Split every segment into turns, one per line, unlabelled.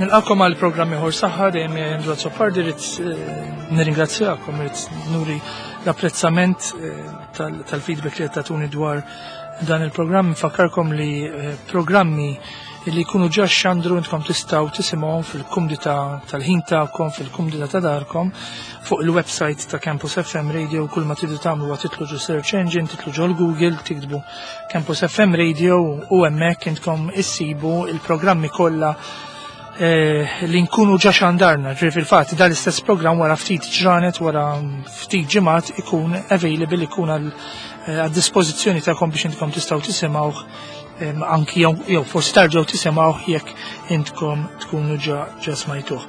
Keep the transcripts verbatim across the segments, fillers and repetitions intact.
Nilqakom għal programm ieħor saħħa dejjem Andrew Azzopardi rrid nirringrazzjakom, rrid nuri l-apprezzament tal-feedback li qed tagħtuni dwar dan il-programm. Nfakkarkom li programmi li jkunu ġa xandru intkom tistgħu tisimgħuhom fil-kumdità tal-ħin tagħkom, fil-kumdità ta' darkom, fuq il-website ta' Campus F M Radio. Kull ma tridu tagħmlu huwa titlu ġo search engine, titlu ġo l-Google, tiktbu Campus F M Radio u hemmhekk intkom issibu il-programmi kollha li nkunu ġa xandarna. Ġifieri fil-fatt dan l-istess programm wara ftit ġranet, wara ftit ġimgħat ikun available, ikun għal dispożizzjoni tagħkom biex intkom tistgħu tisimgħuh anki jew forsi tarġgħu tisimgħuh jekk intkom tkunu ġa, ġa smajtuh.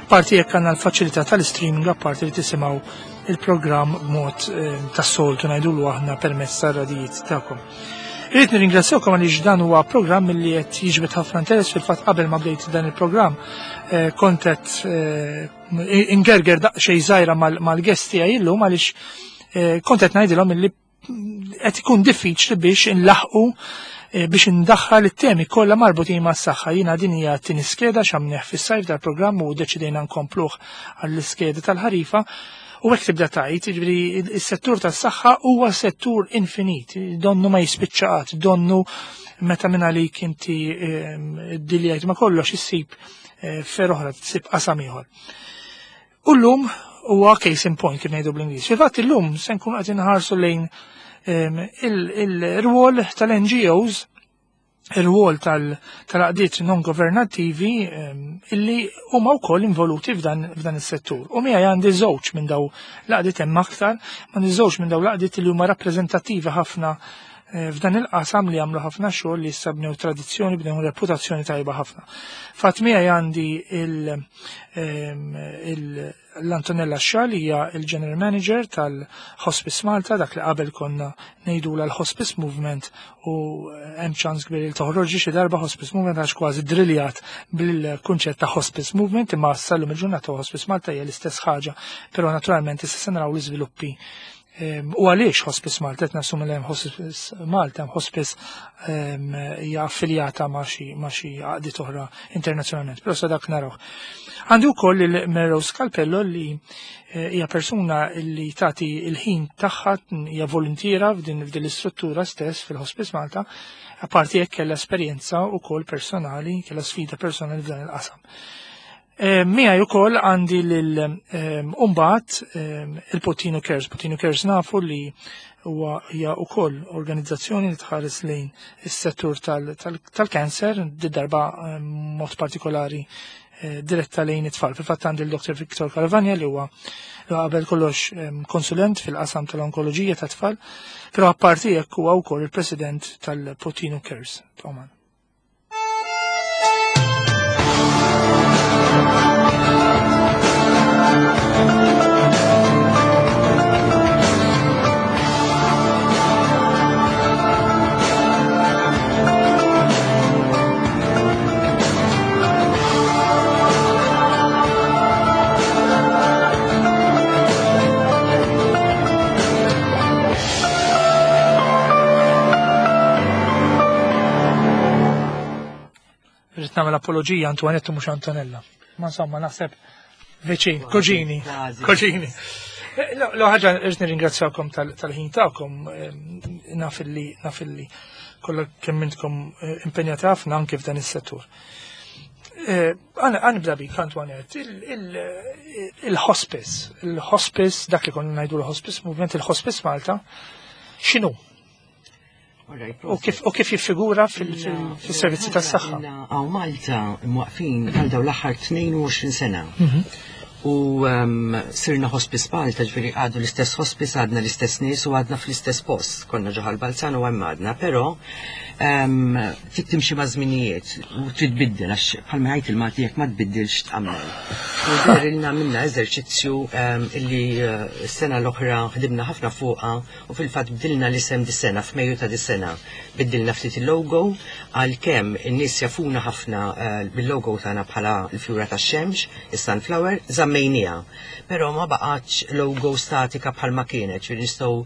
Parti jekk għandna l-faċilità tal-streaming, apparti li tisimgħu il-programm b'mod tas-soltu ngħidulu aħna permezz tar-radijiet tagħkom. Irrid nirringrazzjawkom għaliex dan huwa programm li qed jiġbed ħafna interess. Fil-fatt qabel ma bdejt dan il-programm kont qed ingerger daqsxejn żgħira mal-guest tiegħi illum għaliex kont qed ngħidilhom illi qed ikun diffiċli biex inlaħqu biex indaħħal it-temi kollha marbutin mas-saħħa. Jiena din hija t-tieni skeda x'għamnieh fis-sajf dal-programm u deċidejna nkompluh għall-iskeda tal-ħarifa. U hekk tibda tgħid, jiġifieri s-settur tas-saħħa huwa settur infinit, donnu ma jispiċċa qatt, donnu meta minn għalik inti ddiljajt ma kollox issib fer oħra, tsib qasam ieħor. U llum huwa case in point kif ngħidu bl-Ingliż. Fil-fatt illum se nkunu qed inħarsu lejn il-rwol tal-N G Os, il-rwol tal-għaqdiet non-governattivi illi huma wkoll involuti f'dan is-settur. U miegħi għandi żewġ minn daw l-għaqdiet, hemm aktar, għandi żewġ minn daw l-għaqdiet li huma rappreżentattivi ħafna f'dan il-qasam, li jagħmlu ħafna xogħol, li issa bnew tradizzjoni, bnew reputazzjoni tajba ħafna. Fatt miegħi għandi l-Antonella Xal, hija il-General Manager tal-Hospice Malta, dak li qabel konna ngħidula l-Hospice Movement, u hemm ċans kbir li toħroġ xi darba Hospice Movement għax kważi driljat bil-kunċett ta' Hospice Movement, imma sallum il-ġurnata Hospice Malta hija l-istess ħaġa, però naturalment issa se naraw l-iżviluppi. U għaliex Hospice Malta, qed nassumi li hemm Hospice Malta, hemm Hospice hija affiljata ma' xi, ma' xi għaqdiet oħra internazzjonalment, però sa dak narawh. Għandi wkoll il-Mary Rose Calpello li hija persuna li tagħti l-ħin tagħha, hija volontiera f'din, f'din l-istruttura stess fil-Hospice Malta, apparti hekk kellha esperjenza wkoll personali, kellha sfida personali f'dan il-qasam. Miegħi wkoll għandi lil mbagħad il-Puttinu Cares. Puttinu Cares nafu li huwa hija wkoll organizzazzjoni li tħares lejn is-settur tal-kanser, di darba mod partikolari diretta lejn it-tfal. Fil-fatt għandi l-Doktor Victor Caravagna li huwa qabel kollox konsulent fil-qasam tal-onkoloġija tat-tfal, però apparti hekk huwa wkoll il-President tal-Puttinu Cares. Oman. Nagħmel apoloġija Antoinette mhux Antonella. Ma insomma naħseb viċin, koġini, koġini. L ħaġa irrid nirringrazzjakom tal-ħin tagħkom, naf illi, naf illi kollha kemm intkom impenjati ħafna anke f'dan is-settur. Għana nibda bik, Antoinette, il-hospice, il-hospice, dak li konna ngħidu l-hospice movement, il-Hospice Malta, x'inhu? U kif, u kif jiffigura fil-servizzi tas-saħħa?
Hawn Malta mwaqfin għal dawn l-aħħar tnejn u għoxrin sena.
Mhm.
U sirna Hospice Malta, ġifieri għadu l-istess hospice, għadna l-istess nies u għadna fl-istess post. Konna ġo Ħal Balzan u hemm għadna, però trid timxi ma' żminijiet u trid tbiddel, għax bħalma jgħid il-Malti jekk ma tbiddilx tqammel. U derilna minna eżerċizzju illi s-sena l-oħra ħdimna ħafna fuqha u fil-fatt bdilna l-isem dis-sena, f'Mejju ta' dis-sena. Biddilna ftit il-logo għalkemm in-nies jafuna ħafna bil-logo tagħna bħala l-fjura tax-xemx, is-sunflower, żammejniha. Però ma baqgħetx logo statika bħalma kienet, ġifieri nistgħu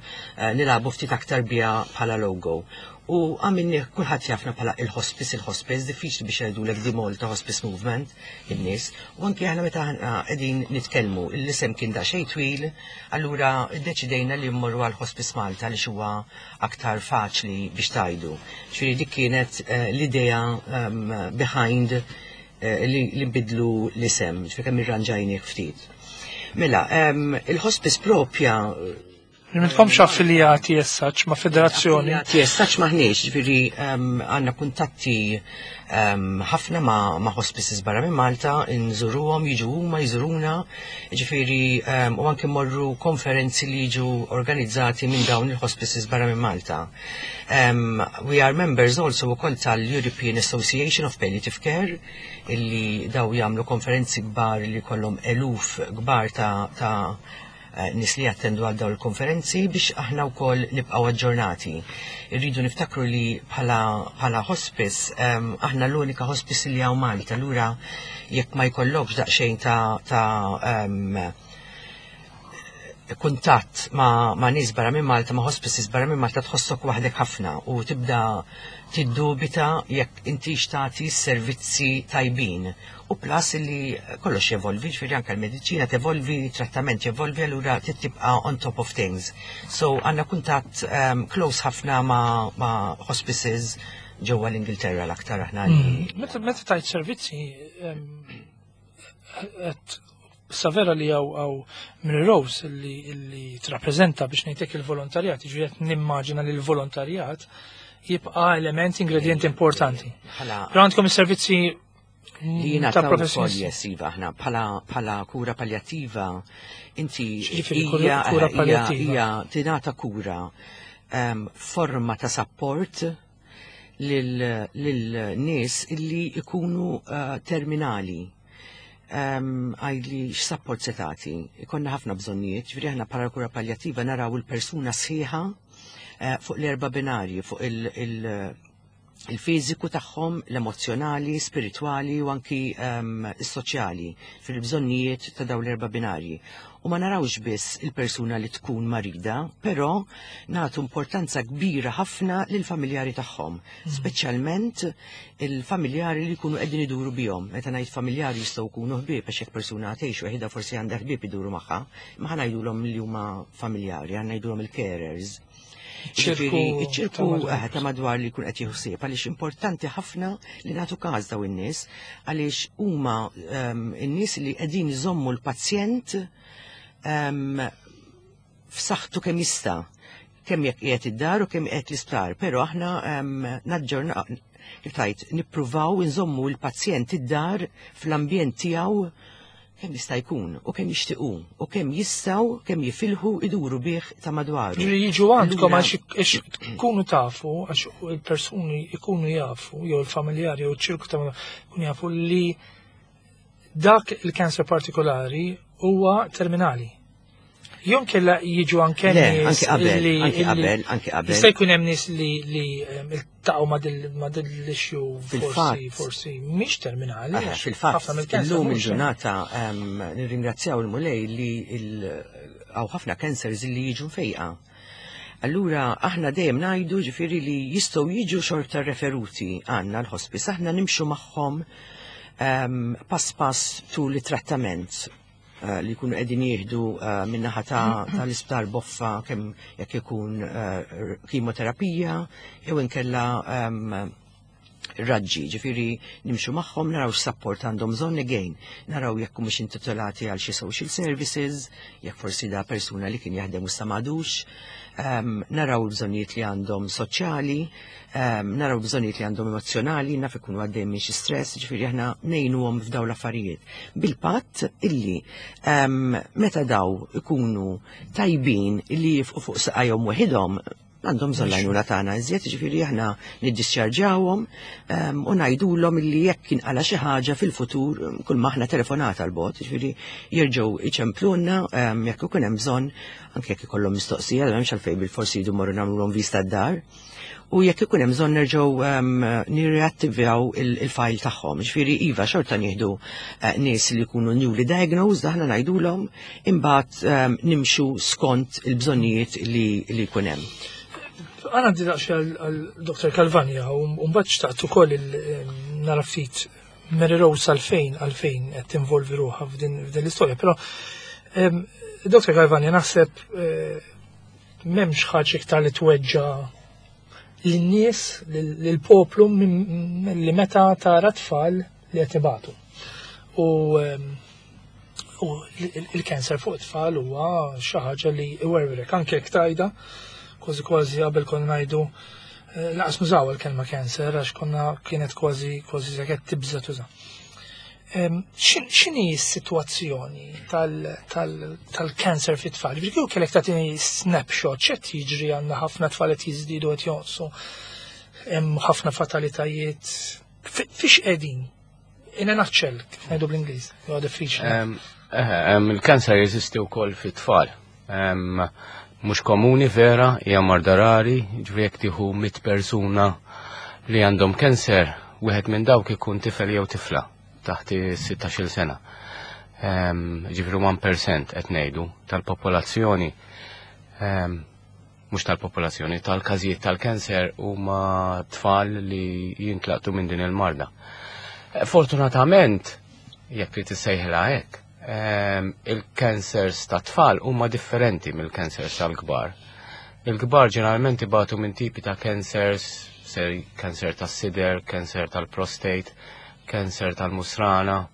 nilagħbu ftit aktar biha bħala logo. U għamilni kulħadd jafna bħala il-hospice, il-hospice, diffiċli biex jgħidulek di Malta Hospice Movement, in-nies. U anki aħna meta aħna qegħdin nitkellmu, l-isem kien daqsxejn twil, allura ddeċidejna li mmorru għal Hospice Malta li huwa aktar faċli biex tgħidu. Ġifieri dik kienet eh, l-idea um, behind eh, li, li nbidlu l-isem, ġifieri kemm irranġajnieh ftit. Mela, um, il-hospice propja
Li m'intkomx affiljati as such ma' federazzjoni.
Affiliati as such m'aħniex, ġifieri um, għandna kuntatti um, ħafna ma', ma' hospices barra minn Malta, nżuruhom, jiġu huma, jżuruna, ġifieri um, u anke morru konferenzi li jiġu organizzati minn dawn il-hospices barra minn Malta. Um, we are members also ukoll tal-European Association of Palliative Care, illi daw jagħmlu konferenzi kbar li kollhom eluf kbar ta', ta eh, nies li jattendu għal dawn il-konferenzi biex aħna wkoll nibqgħu aġġornati. Irridu niftakru li bħala, bħala hospice, um, aħna l-unika hospice li hawn Malta, allura jekk ma jkollokx daqsxejn ta', ta um, kuntatt ma', ma' nies barra minn Malta, ma' hospices barra minn Malta, tħossok waħdek ħafna u tibda tiddubita jekk inti tagħti servizzi tajbin. U plus li kollox jevolvi, ġifieri anke l-mediċina tevolvi, trattament jevolvi, allura tibqa' on top of things. So għandna kuntatt um, close ħafna ma', ma' hospices ġewwa l-Ingilterra l-aktar aħna li.
Mm. Meta meta tajt servizzi, em, qed savera li hawn hawn Mary Rose li li trappreżenta, biex ngħidlek, il-volontarjat, ġifieri qed nimmaġina li l-volontarjat jibqa' element, ingredient importanti.
Bħala
Però għandkom is-servizzi
li
ta'
jingħataw ukoll.
professjonisti.
Yes, iva, aħna bħala bħala kura palliativa inti
X'jiġifieri kura-
hija
kura
hija-
palliativa?
Hija tingħata kura, um, forma ta' support lil lil nies illi ikunu uh, terminali. Um, għidli x'support se tagħti? Ikollna ħafna bżonnijiet, ġifieri aħna bħala kura palliativa naraw il-persuna sħiħa uh, fuq l-erba' binarji, fuq il-, il il-fiżiku tagħhom, l-emozjonali, spiritwali u anki um, is-soċjali fil-bżonnijiet ta' dawn l-erba' binarji. U ma narawx biss il-persuna li tkun marida, però nagħtu importanza kbira ħafna lil familjari tagħhom, speċjalment il-familjari li jkunu qegħdin iduru bihom. Meta ngħid familjari, jistgħu jkunu ħbieb, għax jekk persuna tgħix waħedha forsi għandha ħbieb iduru magħha, ma ħa ngħidulhom li huma familjari, ħa ngħidulhom il-carers.
Ċirku
Ġifieri, iċ-ċirku
ta' madwar.
eh, ta' madwar li jkun qed jieħu ħsieb, għaliex importanti ħafna li nagħtu każ daw in-nies, għaliex huma ehm, in-nies li qegħdin iżommu l-pazjent ehm, f'saħħtu kemm jista', kemm jekk qiegħed id-dar u kemm qiegħed l-isptar, però aħna ehm, naġġorna, kif tgħid, nippruvaw inżommu l-pazjent id-dar fl-ambjent tiegħu kemm jista' jkun u kemm jixtiequ u kemm jistgħu, kemm jifilħu iduru bih ta' madwaru.
Ġifieri jiġu għandkom
Allura-
għax għax tkunu tafu, għax il-persuni ikunu jafu, jew il-familjari, jew il-ċirku ta' ikunu jafu li dak il-kanser partikolari huwa terminali. Jew kella jiġu anke
Le,
nies
anki qabel,
li-
anki
illi-
qabel, anki qabel.
Jista' jkun hemm nies li li em, iltaqgħu ma' dil- ma' dil-issue forsi
Fil-fatt.
forsi mhix terminali.
Aha,
għax
fil-fatt,
ħafna mill-cancer
illum
mhux
il-ġurnata em, nirringrazzjaw il-Mulej li il- hawn ħafna cancers li jiġu mfejqa. Allura, aħna dejjem ngħidu, ġifieri, li jistgħu jiġu xorta referuti għandna l-hospice, aħna nimxu magħhom em, pass pass tul it-trattament eh, li jkunu qegħdin jieħdu eh, min-naħa ta' tal-isptar Boffa, kemm jekk ikun eh, kimoterapija jew inkella em, raġġi, ġifieri nimxu magħhom, naraw x'support għandhom bżonn again, naraw jekk mhux intitolati għal xi social services, jekk forsi da persuna li kien jaħdem u sa m'għadux, um, naraw l-bżonnijiet li għandhom soċjali, um, naraw l-bżonnijiet li għandhom emozjonali, naf ikunu għaddej minn xi stress, ġifieri aħna ngħinuhom f'daw l-affarijiet. Bil-patt illi um, meta daw ikunu tajbin illi jifqu fuq saqajhom waħidhom, għandhom bżonn l-għajnuna tagħna iżjed, ġifieri aħna niddischarġawhom um, u ngħidulhom illi jekk inqala xi ħaġa fil-futur, um, kull maħna telefonata l-bot, ġifieri jerġgħu iċemplunna um, jekk ikun hemm bżonn, anke jekk ikollhom mistoqsija, m'hemmx għalfejn bil-forsi jdu morru nagħmluhom vista d-dar. U jekk ikun hemm bżonn nerġgħu um, nirreattivaw il-file tagħhom. Ġifieri iva, xorta nieħdu uh, nies li jkunu newly diagnosed, aħna ngħidulhom, imbagħad um, nimxu skont il-bżonnijiet li li jkun hemm.
Għana għandi daqxie għal Dr. Calvagna u mbagħad xtaqt ukoll nara ftit Mary Rose għalfejn għalfejn qed tinvolvi ruħha f'din f'din l-istorja, però em, Dr. Calvagna naħseb eh, m'hemmx ħaġa iktar li tweġġa lin-nies, lill-poplu minn- li meta tara tfal li qed ibatu. U em, u il-kanser fuq it-tfal huwa xi ħaġa li iwerwrek anke jekk tajda, kważi kważi qabel konna ngħidu eh, lanqas nużaw il-kelma cancer għax konna kienet kważi kważi saket tibża tuża. Em, xin- X'inhi s-sitwazzjoni tal-cancer fit-tfal? Ġifieri kieku kellek tagħtini snapshot x'qed jiġri għandna ħafna tfal qed jiżdiedu qed jonqsu, hemm ħafna fatalitajiet. Fi- Fiex qegħdin? In a nutshell, kif ngħidu bl-Ingliż, huwa diffiċli.
Em, eh, em, Il-kanser jeżisti wkoll fit-tfal. Em, Mhux komuni vera, hija marda rari, ġifieri jekk tieħu mitt persuna li għandhom kanser, wieħed minn dawk ikun tifel jew tifla taħt sittax-il sena. Em, Ġifieri wieħed fil-mija qed ngħidu tal-popolazzjoni em, mhux tal-popolazzjoni, tal-każijiet tal-kanser huma tfal li jintlaqtu minn din il-marda. Eh, Fortunatament, jekk li tissejħilha hekk, em, il-cancers ta' tfal huma differenti mill-cancers tal-kbar. Il-kbar ġeneralment ibatu minn tipi ta' cancers, ser cancer tas-sider, cancer tal-prostate, cancer tal-musrana,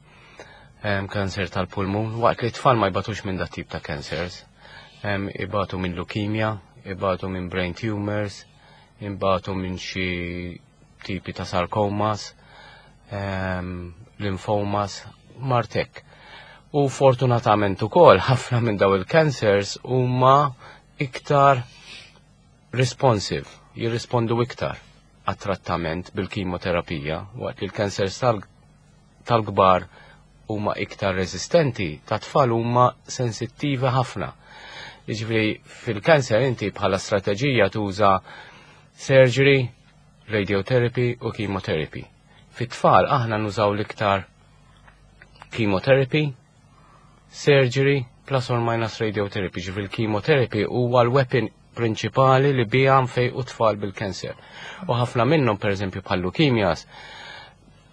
em, cancer tal-pulmun, waqt li t-tfal ma jbatux minn dat tip ta' cancers. Em, Ibatu minn leukemia, ibatu minn brain tumors, ibatu minn xi tipi ta' sarcomas, em, lymphomas, martek. U fortunatament ukoll ħafna minn daw il-cancers huma iktar responsive, jirrispondu iktar għat-trattament bil-kimoterapija, waqt li l-cancers tal- tal-kbar huma iktar resistenti, ta' tfal huma sensittivi ħafna. Jiġifieri fil-cancer inti bħala strateġija tuża surgery, radiotherapy u chemotherapy. Fit-tfal aħna nużaw l-iktar chemotherapy, surgery, plus or minus radiotherapy. Ġifieri l-chemotherapy huwa l-weapon prinċipali li bija nfejqu tfal bil-kanser. U ħafna minnhom pereżempju bħal leukemias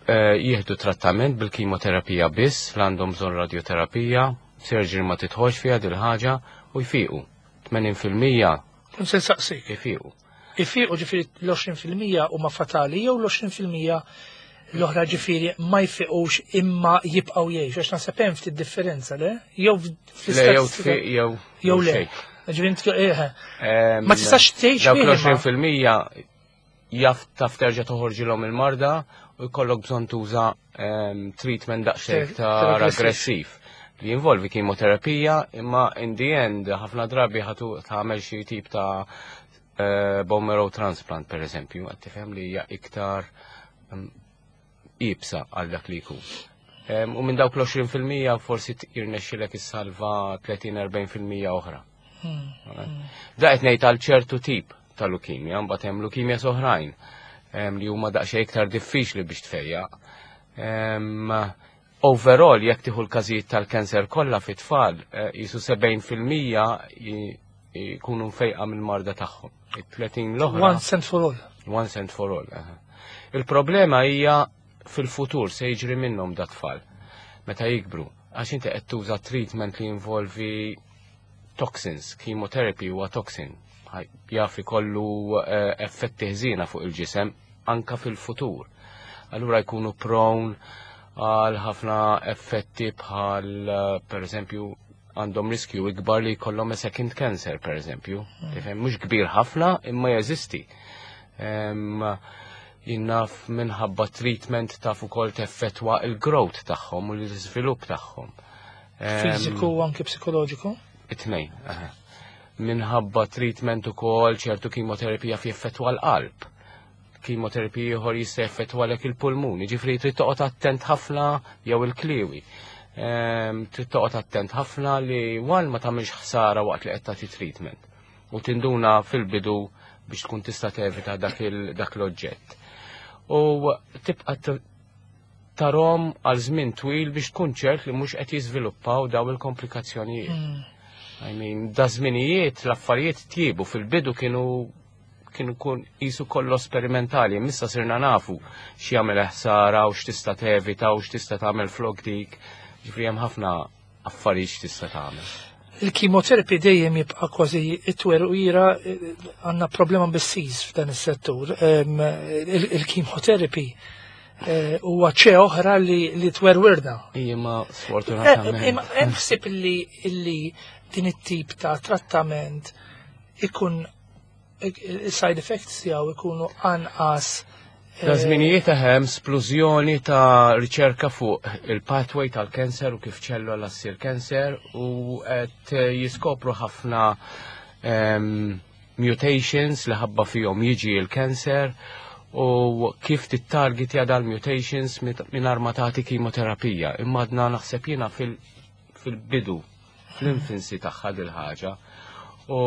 eh, jieħdu trattament bil-kimoterapija biss, l għandhom bżonn radioterapija, surgery ma titħolx fiha dil ħaġa u jfiqu. tmenin fil-mija
Kun se nsaqsik.
jfiqu.
Ifiqu ġifieri l-għoxrin fil-mija huma fatali jew l-għoxrin fil-mija l-oħra ġifieri ma jfiqux imma jibqgħu jgħixu għax naħseb hemm ftit differenza le? Jew
Le jew tfiq jew
jew le.
xejn.
Ġifieri inti- eh,
Em,
Ma tistax tgħix
Dawk
bih imma.
l-għoxrin fil-mija jaf taf terġa' toħorġilhom il-marda u jkollok bżonn tuża em, treatment daqsxejn iktar
aggressiv.
aggressiv li jinvolvi kimoterapija imma in the end ħafna drabi ħatu tagħmel xi tip ta' eh, bone marrow transplant per eżempju, qed tifhem li hija iktar em, iebsa għal dak li jkun. Em, U minn dawk l-għoxrin fil-mija forsi jirnexxilek issalva tletin-erbgħin fil-mija oħra. Da qed ngħid għal ċertu tip ta' leukemia, mbagħad hemm leukemia oħrajn em, li huma daqsxejn iktar diffiċli biex tfejjaq. Em, Overall, jekk tieħu l-każijiet tal-kanser kollha fit-tfal, eh, jisu sebgħin fil-mija ji- jkunu mfejqa mill-marda tagħhom. It-tletin l-oħra.
Once and for all.
Once and for all. Aha. Il-problema hija fil-futur se jiġri minnhom da tfal meta jikbru. Għax inti qed tuża treatment li jinvolvi toxins, chemotherapy huwa toxin. Ħaj- Jaf ikollu eh, effetti ħżiena fuq il-ġisem anka fil-futur. Allura jkunu prone għal ħafna effetti bħal eh, per eżempju għandhom riskju ikbar li jkollhom a second cancer per eżempju. Tifhem mhux kbir ħafna imma jeżisti. Em, Jien naf minħabba treatment taf ukoll teffettwa il-growth tagħhom u l-iżvilupp tagħhom. Em,
Fiżiku u anke psikoloġiku.
It-tnejn, aha. Minħabba treatment ukoll ċertu kimoterapija fi effettwa l-qalb. Kimoterapija ieħor jista' jeffettwa lek il-pulmuni, ġifieri trid toqgħod attent ħafna jew il-kliwi. Em, Trid toqgħod attent ħafna li wan ma tagħmilx ħsara waqt li qed tagħti treatment. U tinduna fil-bidu biex tkun tista' tevita dak il- dak l-oġġett. U tibqa' t- tarahom għal żmien twil biex tkun ċert li mhux qed jiżviluppaw daw il-komplikazzjonijiet. I mean, da żminijiet l-affarijiet tjiebu fil-bidu kienu Kien ikun qisu kollu sperimentali, issa sirna nafu x'jagħmel ħsara u x'tista' tevita u x'tista' tagħmel flok dik. Ġifieri hemm ħafna affarijiet x'tista' tagħmel.
Il-chemotherapy dejjem jibqa' kważi it-twerwira, għandna problema bis-sis f'dan is-settur. Il-chemotherapy eh, huwa ċe oħra li li twerwirna.
Imma sfortunatament.
Imma hemm ħsieb li illi din it-tip ta' trattament ikun il-side effects tiegħu ikunu anqas.
Ta' żminijiet hemm splużjoni ta' riċerka fuq il-pathway tal-cancer u kif ċellola ssir cancer u qed jiskopru ħafna em, mutations li ħabba fihom jiġi il-cancer u kif tittargetja dal-mutations mingħajr ma tagħti kimoterapija. Imma għadna, naħseb jiena, fil-bidu, fl-infancy tagħha dil-ħaġa. U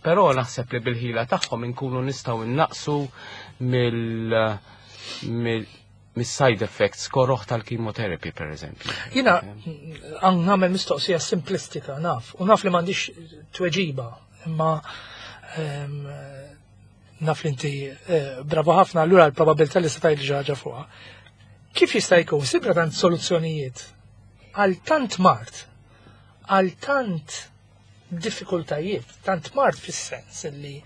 però naħseb li bil-ħila tagħhom inkunu nistgħu innaqsu mill mill mis-side effects koroħ tal-chemotherapy, per eżempju.
Jiena għan nagħmel mistoqsija simplistika, naf, u naf li m'għandix tweġiba, imma em, naf li inti eh, bravo ħafna, allura l-probabilità li se tgħid xi ħaġa fuqha. Kif jista' jkun sibra tant soluzzjonijiet għal tant mard, għal tant diffikultajiet, tant mard fis-sens li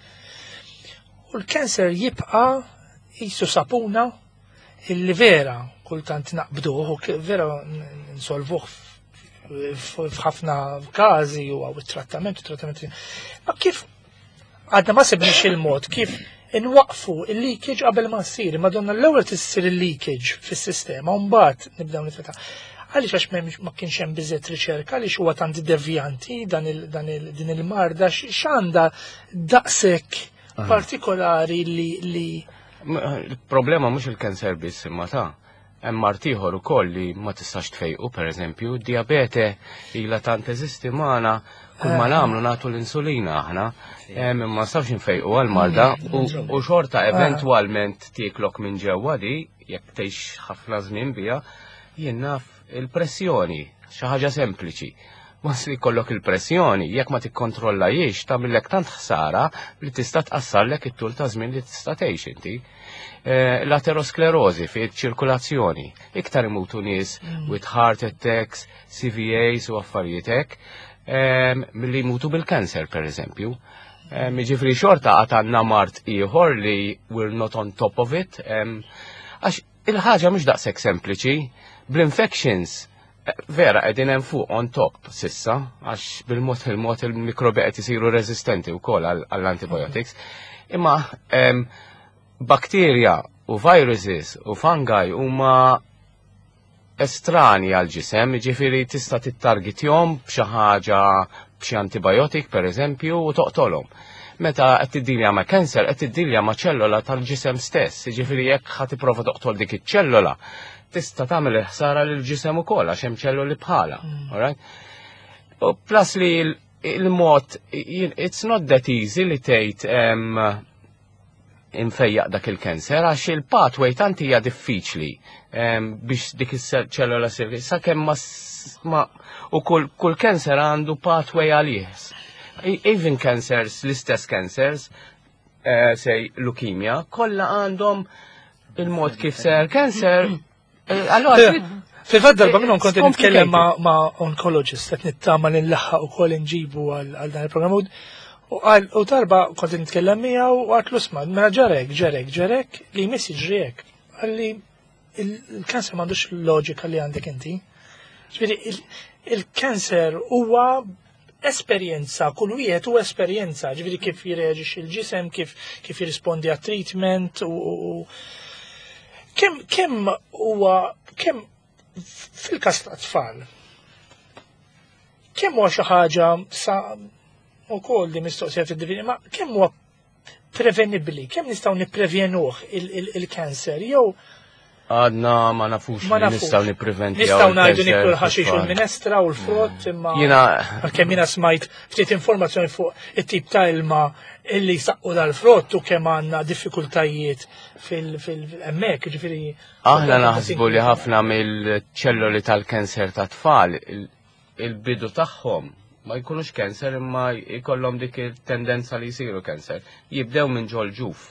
u l-kanser jibqa' qisu sapuna illi vera kultant naqbduh u k- vera n- nsolvuh f- f'ħafna każi u għaw it-trattament u trattament. Ma kif għadna ma sibniex il-mod kif inwaqfu il-leakage qabel ma ssir, madonna, l-ewwel tissir il-leakage fis-sistema u mbagħad nibdew nittrattaw? Għaliex? Għax m'hemmx, ma kienx hemm biżżejjed riċerka? Għaliex huwa tant devjanti dan il, dan il, din il-marda? X'għandha daqshekk partikolari li li
M- Il-problema mhux il-cancer biss, imma ta' hemm mard ieħor ukoll li ma tistax tfejqu, pereżempju, diabete ilha tant teżisti magħna, kull ma nagħmlu nagħtu l-insulina aħna, em, ma nistgħux nfejqu għal-marda u u xorta eventwalment tieklok minn ġewwa di jekk tgħix ħafna żmien biha. Jien naf il-pressjoni, xi ħaġa sempliċi. Once li jkollok il-pressjoni, jekk ma tikkontrollajiex, tagħmillek tant ħsara li tista' tqassarlek it-tul ta' żmien li tista' tgħix inti. Eh, L-aterosklerożi fi ċirkulazzjoni, iktar imutu nies with heart attacks, C V As u affarijiet hekk, em, milli jmutu bil-cancer, per eżempju. Em, Jiġifieri xorta għad għandna mard ieħor li we're not on top of it. em, Għax il-ħaġa mhux daqshekk sempliċi, bl-infections eh, vera qegħdin hemm fuq on top sissa, għax bil-mod il-mod il-mikrobi qed isiru resistenti wkoll għall- għall-antibiotics. Imma em, bakterja u viruses u fungi huma estrani għal-ġisem, ġifieri tista' tittargetjhom b'xi ħaġa, b'xi antibiotic per eżempju, u toqtolhom. Meta qed tiddilja ma' cancer, qed tiddilja ma' ċellola tal-ġisem stess, ġifieri jekk ħa tipprova toqtol dik iċ-ċellola, tista' tagħmel il-ħsara lil ġisem ukoll għax hemm ċelloli bħala. Alright? U plus li il- il-mod, it's not that easy li tgħid em, infejjaq dak il-cancer għax il-pathway tant hija diffiċli em, biex dik is-ċellola sir sakemm ma, s- ma u kull kull cancer għandu pathway għalih. E- Even cancers, l-istess cancers, eh, say leukemia, kollha għandhom il-mod kif ser cancer. eh, Allora,
Fil-fatt darba minnhom kont
It's
nitkellem ma' ma' oncologist, qed nittama li nlaħħaq ukoll inġibu għal għal dan il-programm u u qal u darba kont nitkellem miegħu u għedtlu, "Isma', mela ġarek, ġarek, ġarek li jmiss jiġri hekk." Qalli, "Il-kanser m'għandux loġika li għandek inti." Ġifieri il-kanser huwa esperjenza, kull wieħed huwa esperjenza, ġifieri kif jirreaġixxi il-ġisem, kif kif jirrispondi għat treatment u, u, u kemm kemm huwa kemm fil-każ ta' tfal kemm huwa xi ħaġa sa wkoll di mistoqsija fid-divini, ma kemm huwa prevenibbli, kemm nistgħu nipprevjenuh il-kanser jew
Għadna ma nafux
Ma
li
nafux.
nistgħu nippreventi.
Nistgħu ngħidu niklu l-ħaxix u l-minestra u l-frott, imma
Jiena
għalkemm jiena smajt ftit informazzjoni fuq it-tip ta' ilma illi saqqu dal-frott u kemm għandna diffikultajiet fil-hemmhekk, ġifieri.
Aħna naħsbu li ħafna mill-ċelloli tal-kanser ta' tfal, il- il-bidu tagħhom Ma jkunux cancer imma jkollhom dik il-tendenza li jsiru cancer. Jibdew minn ġol ġuf.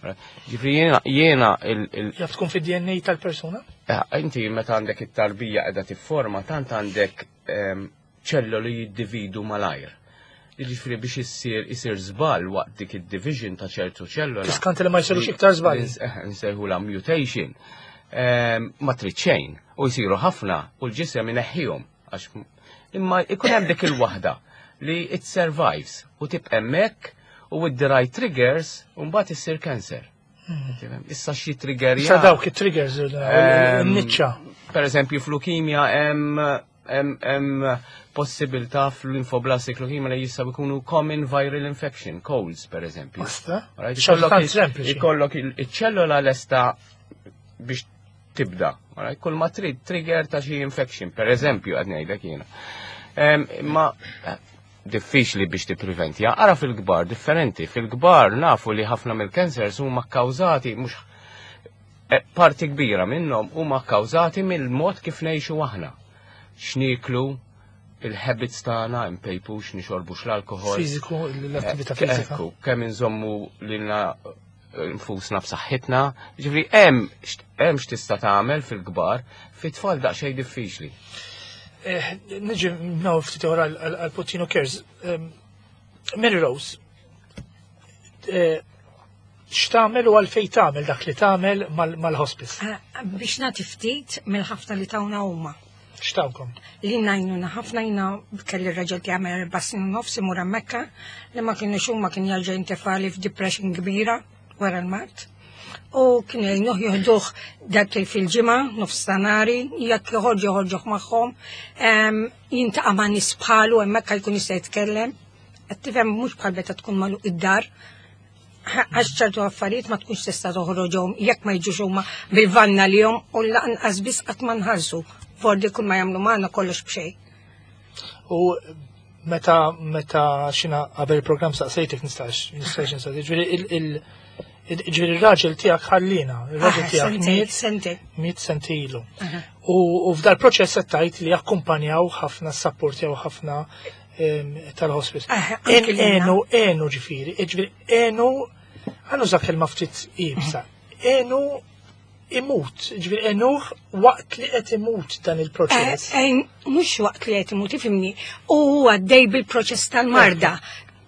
Ġifieri jiena jiena il, il,
Jaf tkun fid-D N A tal-persuna?
Eh, Inti meta għandek it-tarbija qiegħda tifforma, tant għandek ehm, ċelloli jiddividu malajr. Jiġifieri biex issir isir żball waqt dik id-division ta' ċertu ċellola.
Tiskanti li ma jsirux iktar żbalji.
Eh, Nsejħula mutation. Ehm, Ma trid xejn u jsiru ħafna u l-ġisem ineħħihom għax imma ikun hemm dik il-waħda li it survives u tibqa' hemmhekk u with the right triggers u mbagħad issir cancer. Tifhem? Issa xi triggerja.
Sa dawk it-triggers,
Ehm,
il-niċċa.
Per eżempju, fl-leukemia hemm hemm hemm possibilità fl-lymphoblastic leukemia li jistgħu jkunu common viral infection, colds per eżempju.
Basta.
Alright,
Xi
ikollok
tant
il-
sempliċi.
Ikollok il- iċ-ċellola lesta biex tibda. Alright, kull ma trid trigger ta' xi infection, per eżempju, qed ngħidlek jiena. Em, Ma eh, diffiċli biex tippreventja. Ara fil-kbar, differenti. Fil-kbar nafu li ħafna mill-cancers huma kkawżati mhux eh, parti kbira minnhom huma kkawżati mill-mod kif ngħixu aħna. X'nieklu, il-habits tagħna, impejpux, nixorbux l-alkohol.
Fiżiku, l-attività
Eh,
fiżika.
Ekku, kemm inżommu lilna nfusna b'saħħitna. Ġifieri hemm hemm x'tista' tagħmel fil-kbar, fit-tfal daqsxejn diffiċli.
Eh, Niġi naw ftit oħra għal Puttinu Cares. Ehm, Mary Rose, eh, x'tagħmel u għalfejn tagħmel dak li tagħmel mal- mal-hospice?
Ah, biex nagħti ftit mill-ħafna li tawna huma.
X'tawkom?
Li ngħinuna ħafna. Jiena kelli r-raġel ti għamel erba' snin u nofs imur Mekka li ma kienu huma kien jarġa' jintefali f'depression kbira wara l-mard. U kienu jgħinuh, joħduh darbtejn fil-ġimgħa, nofs ta' nhari, jekk joħorġu joħorġuh magħhom, em, jiltaqa' ma' nies bħalu hemmhekk jkun jista' jitkellem. Qed tifhem, mhux bħal meta tkun magħluq id-dar, għax ċertu affarijiet ma tkunx tista' toħroġhom jekk ma jiġux huma bil-vanna li jom u lanqas biss qatt ma nħallsu. Vordi kull ma jagħmlu magħna kollox b'xejn.
U meta meta xina qabel il-programm saqsejtek nistax nistax nistaqsi. Ġifieri il- il- il- ġifieri ir-raġel tiegħek ħallina, ir-raġel
Ah,
tiegħek
sentejn,
miet
sentejn.
miet sentilu.
Aha.
U u f'dal proċess qed tgħid li akkumpanjaw ħafna, sapportjaw ħafna em, tal-hospice.
Ah,
En
anki lilna.
enu, enu ġifieri, ġifieri enu, ħa nuża kelma ftit iebsa, enu imut, ġifieri enuh waqt li qed imut dan il-proċess.
Eh, eh, Mhux waqt li qed imut, ifhimni, u għaddej bil-proċess tal-marda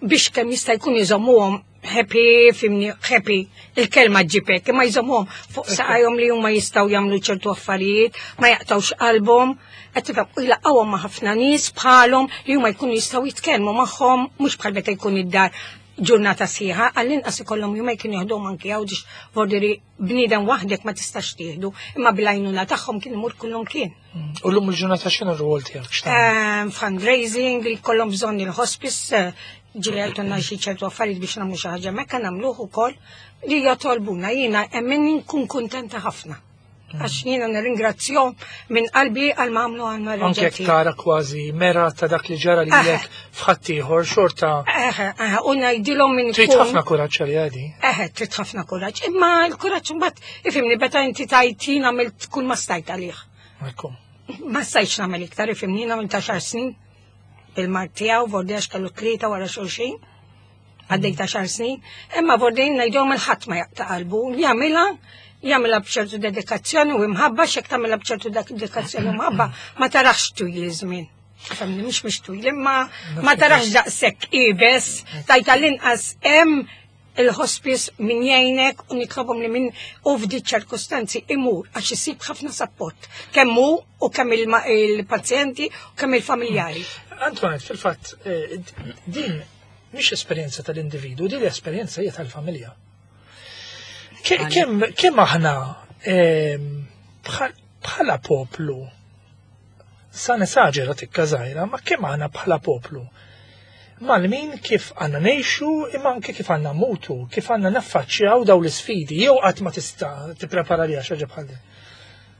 biex kemm jista' jkun jżommuhom happy, fhimni, happy, il-kelma ġipek, imma jżommuhom fuq saqajhom li huma jistgħu jagħmlu ċertu affarijiet, ma jaqtawx qalbhom, qed tifhem, u jlaqqawhom ma' ħafna nies bħalhom li huma jkunu jistgħu jitkellmu magħhom, mhux bħal meta jkun id-dar ġurnata sħiħa, għall-inqas ikollhom jumejn kienu jieħduhom anki Għawdex, vordiri bniedem waħdek ma tistax tieħdu, imma bil-għajnuna tagħhom kien imur kullum kien.
U l-lum il-ġurnata x'inhu r-rwol tiegħek? X'tagħmel?
Ehm, fundraising li kollhom bżonn il-hospice, eh, ġili għajtuna xi ċertu affarijiet biex nagħmlu xi ħaġa mekka nagħmluh ukoll li jatolbuna, jiena hemm nkun kuntenta ħafna. Għax jiena nirringrazzjahom minn qalbi għal ma għamlu għandna.
Anke jekk tara kważi mera ta' dak li ġara lilek f'ħaddieħor xorta
Eħe, eħe, u ngħidilhom minn
trid
ikun-
ħafna kuraġġ għal għadi.
Eħe, trid ħafna kuraġġ. Imma l-kuraġġ mbagħad, ifhimni, meta inti tajt jien għamilt kull ma stajt għalih.
Ekku.
Ma stajtx nagħmel iktar, ifhimni, jien għamilt għaxar snin bil-mard tiegħu, vordi għax kellu tlieta wara xulxin. Għaddejt għaxar snin, imma vordi ngħidhom il-ħadd ma jaqta' qalbu, jagħmilha jagħmilha b'ċertu dedikazzjoni u imħabba, xek tagħmilha b'ċertu dedikazzjoni u imħabba ma tarax twil iż-żmien. Fhimni, mhux mhux twil, imma ma tarax daqshekk iebes, tajta l-inqas hemm il-hospice min jgħinek u nitlobhom li min u f'di ċirkustanzi imur għax isib ħafna support. Kemm hu u kemm il- il-pazjenti u kemm il-familjari.
Antoinette, fil-fatt, eh, din mhix esperjenza tal-individu, din l-esperjenza hija tal-familja. Ke- Kemm kemm aħna ehm, bħal- bħala poplu, sa nesaġera tikka żgħira, ma kemm aħna bħala poplu mal-min kif għanna ngħixu imma anke kif għanna mutu, kif għanna naffaċċjaw daw l-sfidi, jew qatt ma tista' tipprepara li xi ħaġa bħal din?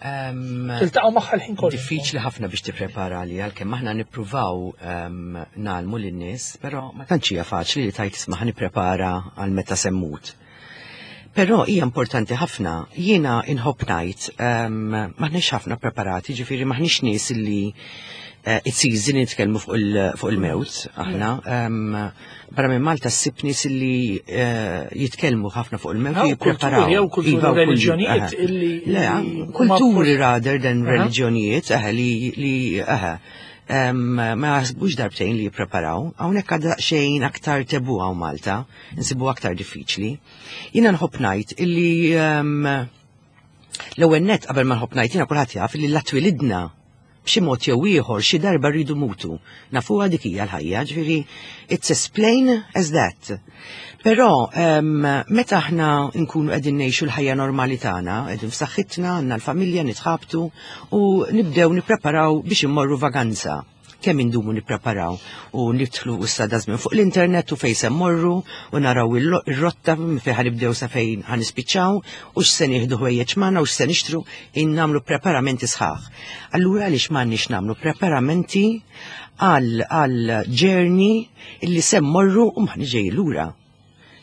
Em,
Tiltaqgħu magħha l-ħin kollu.
Diffiċli ħafna biex tipprepara li għalkemm aħna nippruvaw um, ngħallmu lin-nies, però ma tantx hija faċli li tajt isma' ħa nipprepara għal meta se mmut. Però hija importanti ħafna, jiena inħobb ngħid um, m'aħniex ħafna preparati, ġifieri m'aħniex nies li Eh, It's easy nitkellmu fuq il- fuq il-mewt, aħna. Em, Barra minn Malta ssib nies li eh, jitkellmu ħafna fuq il-mewt u
Hawn
jippreparaw.
kulturi, hawn kulturi
Iva, u kulturi,
reliġjonijiet
aha.
illi-
Le,
li
kulturi
huma-
rather than
Aha.
reliġjonijiet, eħe, li, li, eħe, em, ma jaħsbux darbtejn li jippreparaw. Hawnhekk għadha xejn aktar taboo hawn Malta, nsibu aktar diffiċli. Jiena nħobb ngħid illi em, l-ewwel net qabel ma nħobb ngħid jiena kulħadd jaf illi la twilidna b'xi mod jew ieħor xi darba rridu mutu. Nafuha dik hija l-ħajja, ġifieri it's as plain as that. Però em, meta aħna nkunu qegħdin ngħixu l-ħajja normali tagħna, qegħdin f'saħħitna, għandna l-familja nitħabtu u nibdew nippreparaw biex immorru vaganza. Kemm indumu nippreparaw u nidħlu issa dażmin fuq l-internet u fejn se mmorru u naraw il- ir-rotta fejn ħanibdew sa fejn ħanispiċċaw u x'se nieħdu ħwejjeġ magħna u x'se nixtru in nagħmlu preparamenti sħaħ. Allura għaliex m'għandniex nagħmlu preparamenti għal għal journey illi se mmorru u m'aħniex ġej lura.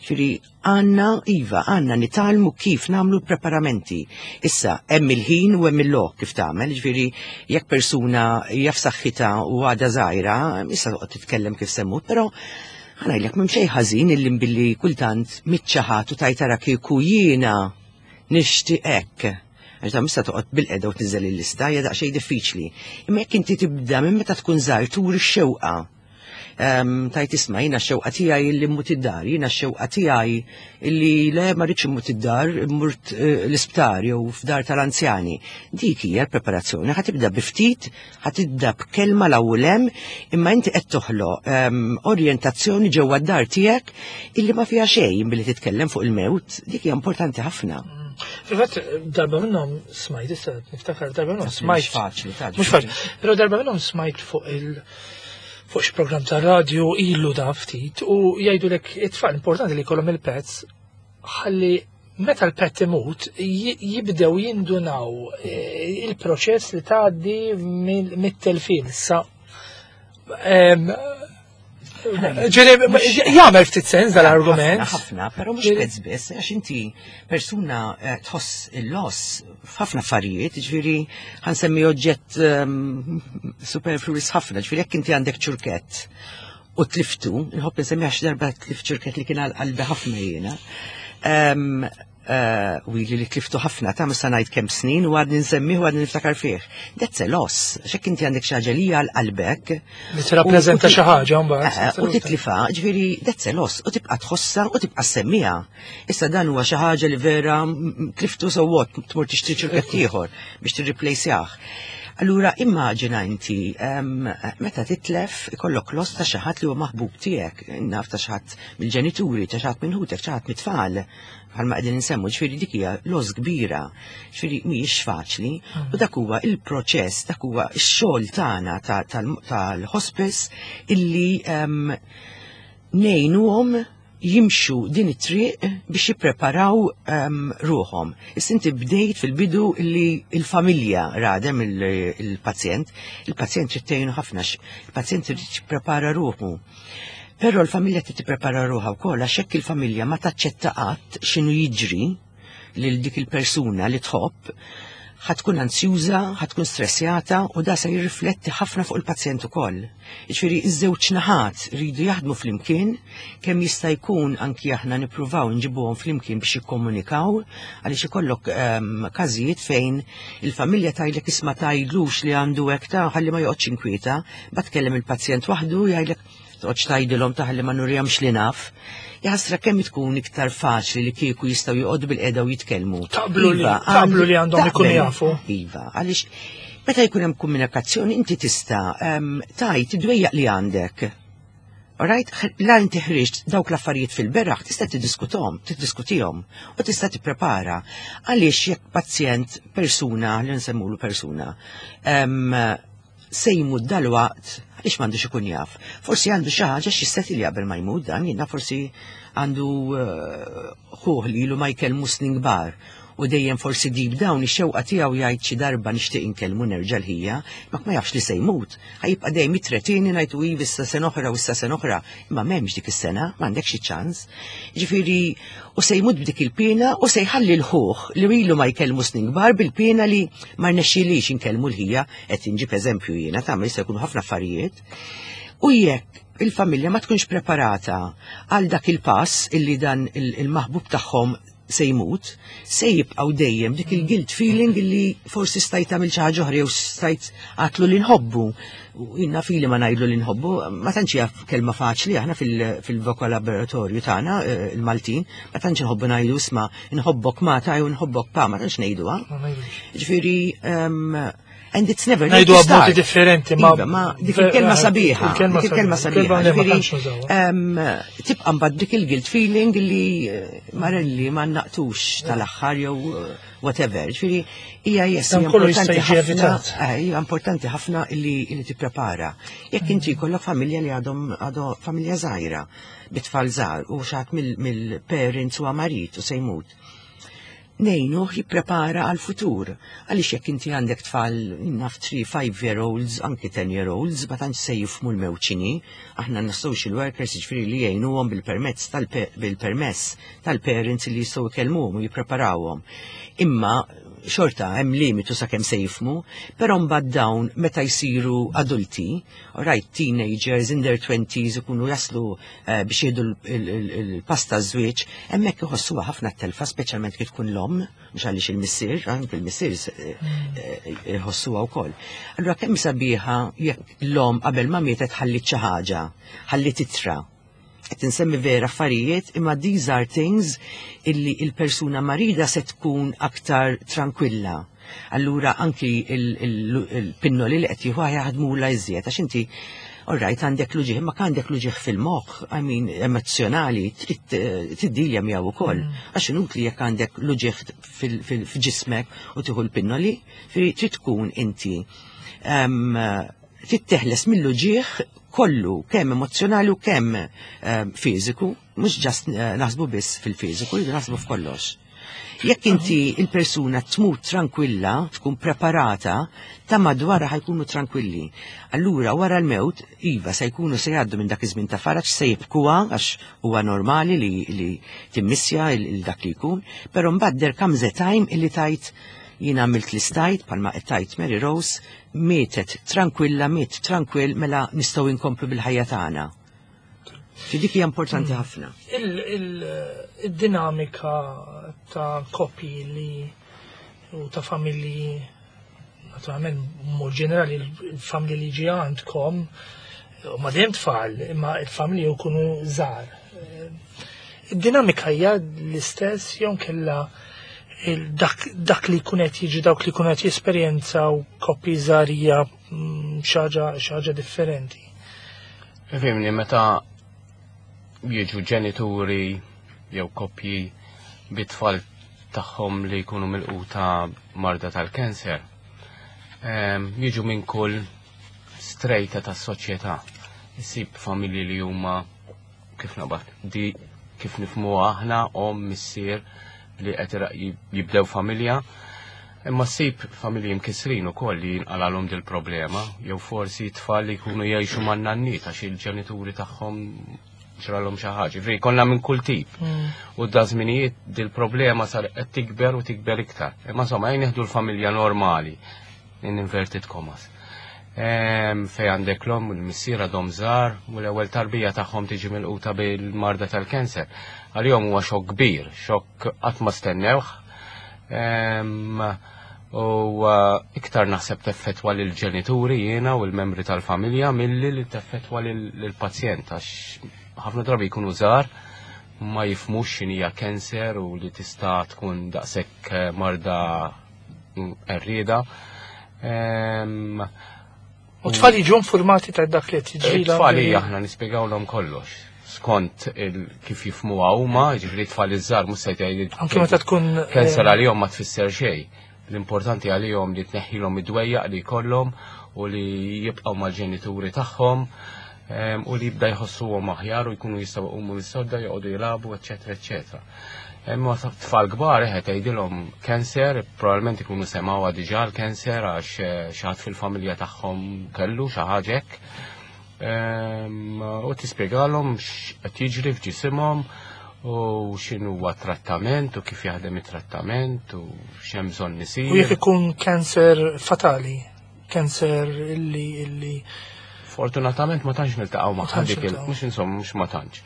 Ġifieri, għandna, iva, għandna nitgħallmu kif nagħmlu preparamenti. Issa, hemm il-ħin u hemm il-lok kif tagħmel, ġifieri, jekk persuna jaf saħħitha u għadha żgħira, issa toqgħod titkellem kif semmut, però ħa ngħidlek m'hemm xejn ħażin illi billi kultant mitċaħat u tajtara kieku jiena nixtieq hekk. Għax da mista toqgħod bilqiegħda u tniżel il-lista hija daqsxejn diffiċli. Imma jekk inti tibda minn meta tkun żgħir turi x-xewqa um, tajt isma' jiena x-xewqa tiegħi illi mmut id-dar, jiena x-xewqa tiegħi illi le ma rridx immut id-dar, immurt eh, l-isptar jew f'dar tal-anzjani. Dik hija l-preparazzjoni, ħa tibda bi ftit, ħa tibda b'kelma l-ewwel hemm, imma inti qed toħloq um, orjentazzjoni ġewwa d-dar tiegħek illi ma fiha xejn billi titkellem fuq il-mewt, dik hija importanti ħafna.
Fil-fatt, darba minnhom smajt, issa niftakar darba minnhom
Mhux
smajt.
faċli, ta'
Mhux faċli. Però darba minnhom smajt fuq il- fuq xi programm ta' radio ilu da ftit u jgħidulek it-tfal importanti li jkollhom il-pets ħalli meta l-pet imut ji- jibdew jindunaw eh, il-proċess li tgħaddi mill- mit-telfin. Issa em, ġifieri, jagħmel ftit sens dal-argument.
Ħafna, ħafna, però mhux
Ġifieri-
pets biss, għax inti persuna eh, tħoss il-loss f'ħafna affarijiet, ġifieri ħa nsemmi oġġett um, superfluous ħafna, ġifieri jekk inti għandek ċurkett u tliftu, nħobb nsemmi għax darba tlift ċurkett li kien għal qalbi ħafna jiena. Um, uh, u ili li tliftu ħafna ta' mista ngħid kemm snin u għadni nsemmi u għadni niftakar fih. That's a loss, xek inti għandek xi ħaġa li għal qalbek.
Li tirrappreżenta
U- u-
xi ħaġa mbagħad.
Eh, U titlifa, ġifieri, that's a loss, u tibqa tħossa u tibqa ssemmiha. Issa dan huwa xi ħaġa li vera mm, tliftu so what, tmur tixtri ċurkett ieħor biex tirreplaceah. Allura immaġina inti em, meta titlef ikollok loss ta' xi ħadd li huwa maħbub tiegħek, naf ta' xi ħadd mill-ġenituri, ta' xi ħadd minn ħutek, xi ħadd mit-tfal, bħalma qegħdin insemmu, ġifieri dik hija loss kbira, ġifieri mhijiex faċli, u dak huwa il-proċess, dak huwa x-xogħol tagħna ta- tal- tal-hospice illi em, ngħinuhom jimxu din it-triq biex jippreparaw um, ruħhom. Issa inti bdejt fil-bidu illi il-familja radem il-pazjent, il-pazjent trid tgħinu ħafna, x- il-pazjent trid jipprepara ruħu. Però l-familja trid tipprepara ruħha wkoll għax hekk il-familja ma taċċetta qatt x'inhu jiġri lil dik il-persuna li tħobb, ħa tkun ansjuża, ħa tkun stressjata u da se jirrifletti ħafna fuq il-pazjent ukoll. Jiġifieri iż-żewġ naħat rridu jaħdmu flimkien kemm jista' jkun anki aħna nippruvaw nġibuhom flimkien biex jikkomunikaw għaliex ikollok um, każijiet fejn il-familja tgħidlek isma' tgħidlux li għandu hekk ta' ħalli ma joqgħodx inkwieta, bat kellem il-pazjent waħdu jgħidlek toqgħodx tgħidilhom ta' ħalli ma nurihomx li naf. Jaħasra kemm tkun iktar faċli li kieku jistgħu joqogħdu bilqiegħda u jitkellmu.
Taqblu li-
Iva,
taqblu li għandhom ikunu
taqbel.
jafu.
Iva, għaliex meta jkun hemm komunikazzjoni inti tista' em, tajt id-dwejjaq li għandek. Alright, la inti ħriġt dawk l-affarijiet fil-beraħ, tista' tiddiskuthom, tiddiskutihom u tista' tipprepara. Għaliex jekk pazjent, persuna, li nsemmulu persuna, em, se jmut dal-waqt, għaliex m'għandux ikun jaf. Forsi għandu xi ħaġa xi li qabel ma jmut dan, jiena forsi għandu eh, ħuh li ilu ma jkellmu snin kbar. U dejjem forsi deep down ix-xewqa tiegħu jgħid xi darba nixtieq inkellmu nerġa' l-ħija, ma ma jafx li se jmut. Ħa jibqa' dejjem jitretini ngħidu iva issa sena oħra u issa sena oħra, imma m'hemmx dik is-sena, m'għandekx xi ċans. Ġifieri u se jmut b'dik il-pena u se jħalli l-ħuħ li ilu ma jkellmu snin kbar bil-pena li ma rnexxilix inkellmu l-ħija, qed inġib eżempju jiena ta' jista' jkunu ħafna affarijiet. U jekk il-familja ma tkunx preparata għal dak il-pass illi dan il-maħbub tagħhom se jmut, se jibqgħu dejjem dik il-guilt feeling illi forsi stajt tagħmel xi ħaġa oħra jew stajt għatlu li nħobbu. U jiena fili ma ngħidlu li nħobbu, ma tantx hija kelma faċli aħna fil-vokabolatorju tagħna eh, il-Maltin, ma tantx nħobbu ngħidu isma' nħobbok ma ta' jew nħobbok pa, ma tantx ngħiduha. Ġifieri and it's never
Ngħidu b'modi differenti, ma
Iva, ma dik il-kelma sabiħa, dik il-kelma sabiħa. Tibqa' mbagħad dik il-guilt feeling li eh, marelli ma naqtux tal-aħħar jew eh, whatever. Ġifieri hija yes,
Dan kollu jista' jiġi evitat.
Eh, hija importanti ħafna illi illi tipprepara. Jekk inti jkollok familja li għadhom għadhom familja żgħira, bit-tfal żgħar u xi ħadd mill-parents huwa marid u se jmut ngħinuh jipprepara għal-futur. Għaliex jekk inti għandek tfal naf three, five year olds, anki ten year olds, ma tantx se jifhmu l-mewt x'inhi, aħna għandna social workers ġifieri li jgħinuhom bil-permezz tal-permess tal-parents li jistgħu jkellmuhom u jippreparawhom. Imma xorta hemm limitu sakemm se jifhmu, però mbagħad dawn meta jsiru adulti, right, teenagers in their twenties ikunu jaslu eh, biex jieħdu l-pass taż-żwieġ, hemmhekk iħossuha ħafna telfa, speċjalment kif tkun l-omm, mhux għaliex il-missier, anke il-missier eh, iħossuha wkoll. Allura kemm sabiħa jekk l-omm qabel ma mietet ħallit xi ħaġa, ħallit ittra, qed insemmi vera affarijiet, imma these are things illi il-persuna marida se tkun aktar tranquilla. Allura anki il-pinnoli li qed jieħu jaħdmula iżjed għax inti Alright, għandek l-uġigħ, ma għandek l-uġigħ fil-moħħ, I mean, emozjonali, trid eh, tiddilja miegħu ukoll. Mm. Għax inutli jekk għandek l-uġigħ fil-ġismek u tieħu l-pinnoli, trid tkun inti trid teħles mill-uġigħ kollu, kemm emozjonali u kemm fiżiku, mhux just eh, naħsbu biss fil-fiżiku, naħsbu f'kollox. Jekk inti il-persuna tmut tranquilla, tkun preparata, ta' madwarha ħa jkunu tranquilli. Allura wara l-mewt, iva se jkunu se jgħaddu minn dak iż-żmien ta' faraġ se jibkuha għax huwa normali li, li timmissja il dak li jkun, però mbagħad there comes a time illi tajt jien għamilt li stajt, bħalma tajt Mary Rose, mietet tranquilla, miet tranquill, mela nistgħu inkomplu bil-ħajja tagħna. Dik hija importanti hmm. ħafna.
Il-dinamika ta' koppji li u ta' familji, naturalment mod ġenerali il-familji li ġi għandkom, u ma dejjem tfal, imma il-familji jkunu żgħar. Id-dinamika hija l-istess jew kella dak, dak li jkun qed jiġi dawk li jkunu qed jesperjenzaw koppji żgħar hija mm, xi ħaġa differenti.
Fimni, meta jiġu ġenituri jew koppji bit-tfal tagħhom li jkunu milquta marda tal-kanser, jiġu minn kull strata tas-soċjetà. Issib familji li huma kif naqbad di kif nifhmu aħna omm missier li qed jibdew familja. Imma ssib familji mkisrin ukoll li jinqalalhom dil problema jew forsi tfal li jkunu jgħixu man-nanniet għax il-ġenituri tagħhom ġralhom xi ħaġa. Ġifieri konna minn kull tip. Mm. U da żminijiet dil-problema sar qed tikber u tikber iktar. Imma insomma jien nieħdu l-familja normali in inverted commas. Fej għandek l-omm u l-missier għadhom żgħar u l-ewwel tarbija tagħhom tiġi milquta bil-marda tal-kanser. Għalihom huwa xokk kbir, xokk qatt ma stennewh. U uh, iktar naħseb teffettwa lill-ġenituri jiena u l-membri tal-familja milli li teffettwa lill-pazjent għax ħafna drabi jkunu żgħar ma jifhmux x'inhija cancer u li tista' tkun daqshekk eh, marda qerrieda.
U tfal jiġu informati ta' dak li qed jiġri.
Tfal aħna nispjegawlhom kollox skont kif jifhmuha huma, ġifieri tfal iż-żgħar mhux se jgħid.
Anke meta tkun
cancer eh, għalihom ma tfisser xejn. L-importanti għalihom li tneħħilhom id-dwejjaq li jkollhom u li jibqgħu mal-ġenituri tagħhom. u li jibda jħossuhom aħjar u jkunu jistgħu jqumu mis-sodda, joqogħdu jilagħbu, eċetera, eċetera. Imma tfal kbar eħe tgħidilhom cancer, probabbilment ikunu semgħuha diġà l-cancer għax eh, xi ħadd fil-familja tagħhom kellu xi ħaġa hekk. U tispjegalhom x'qed jiġri f'ġisimhom u x'inhu huwa trattament u kif jaħdem it-trattament u x'hemm bżonn isir.
U jekk ikun cancer fatali, cancer illi illi
Fortunatament ma tantx niltaqgħu ma' dik il mhux insomma mhux ma tantx.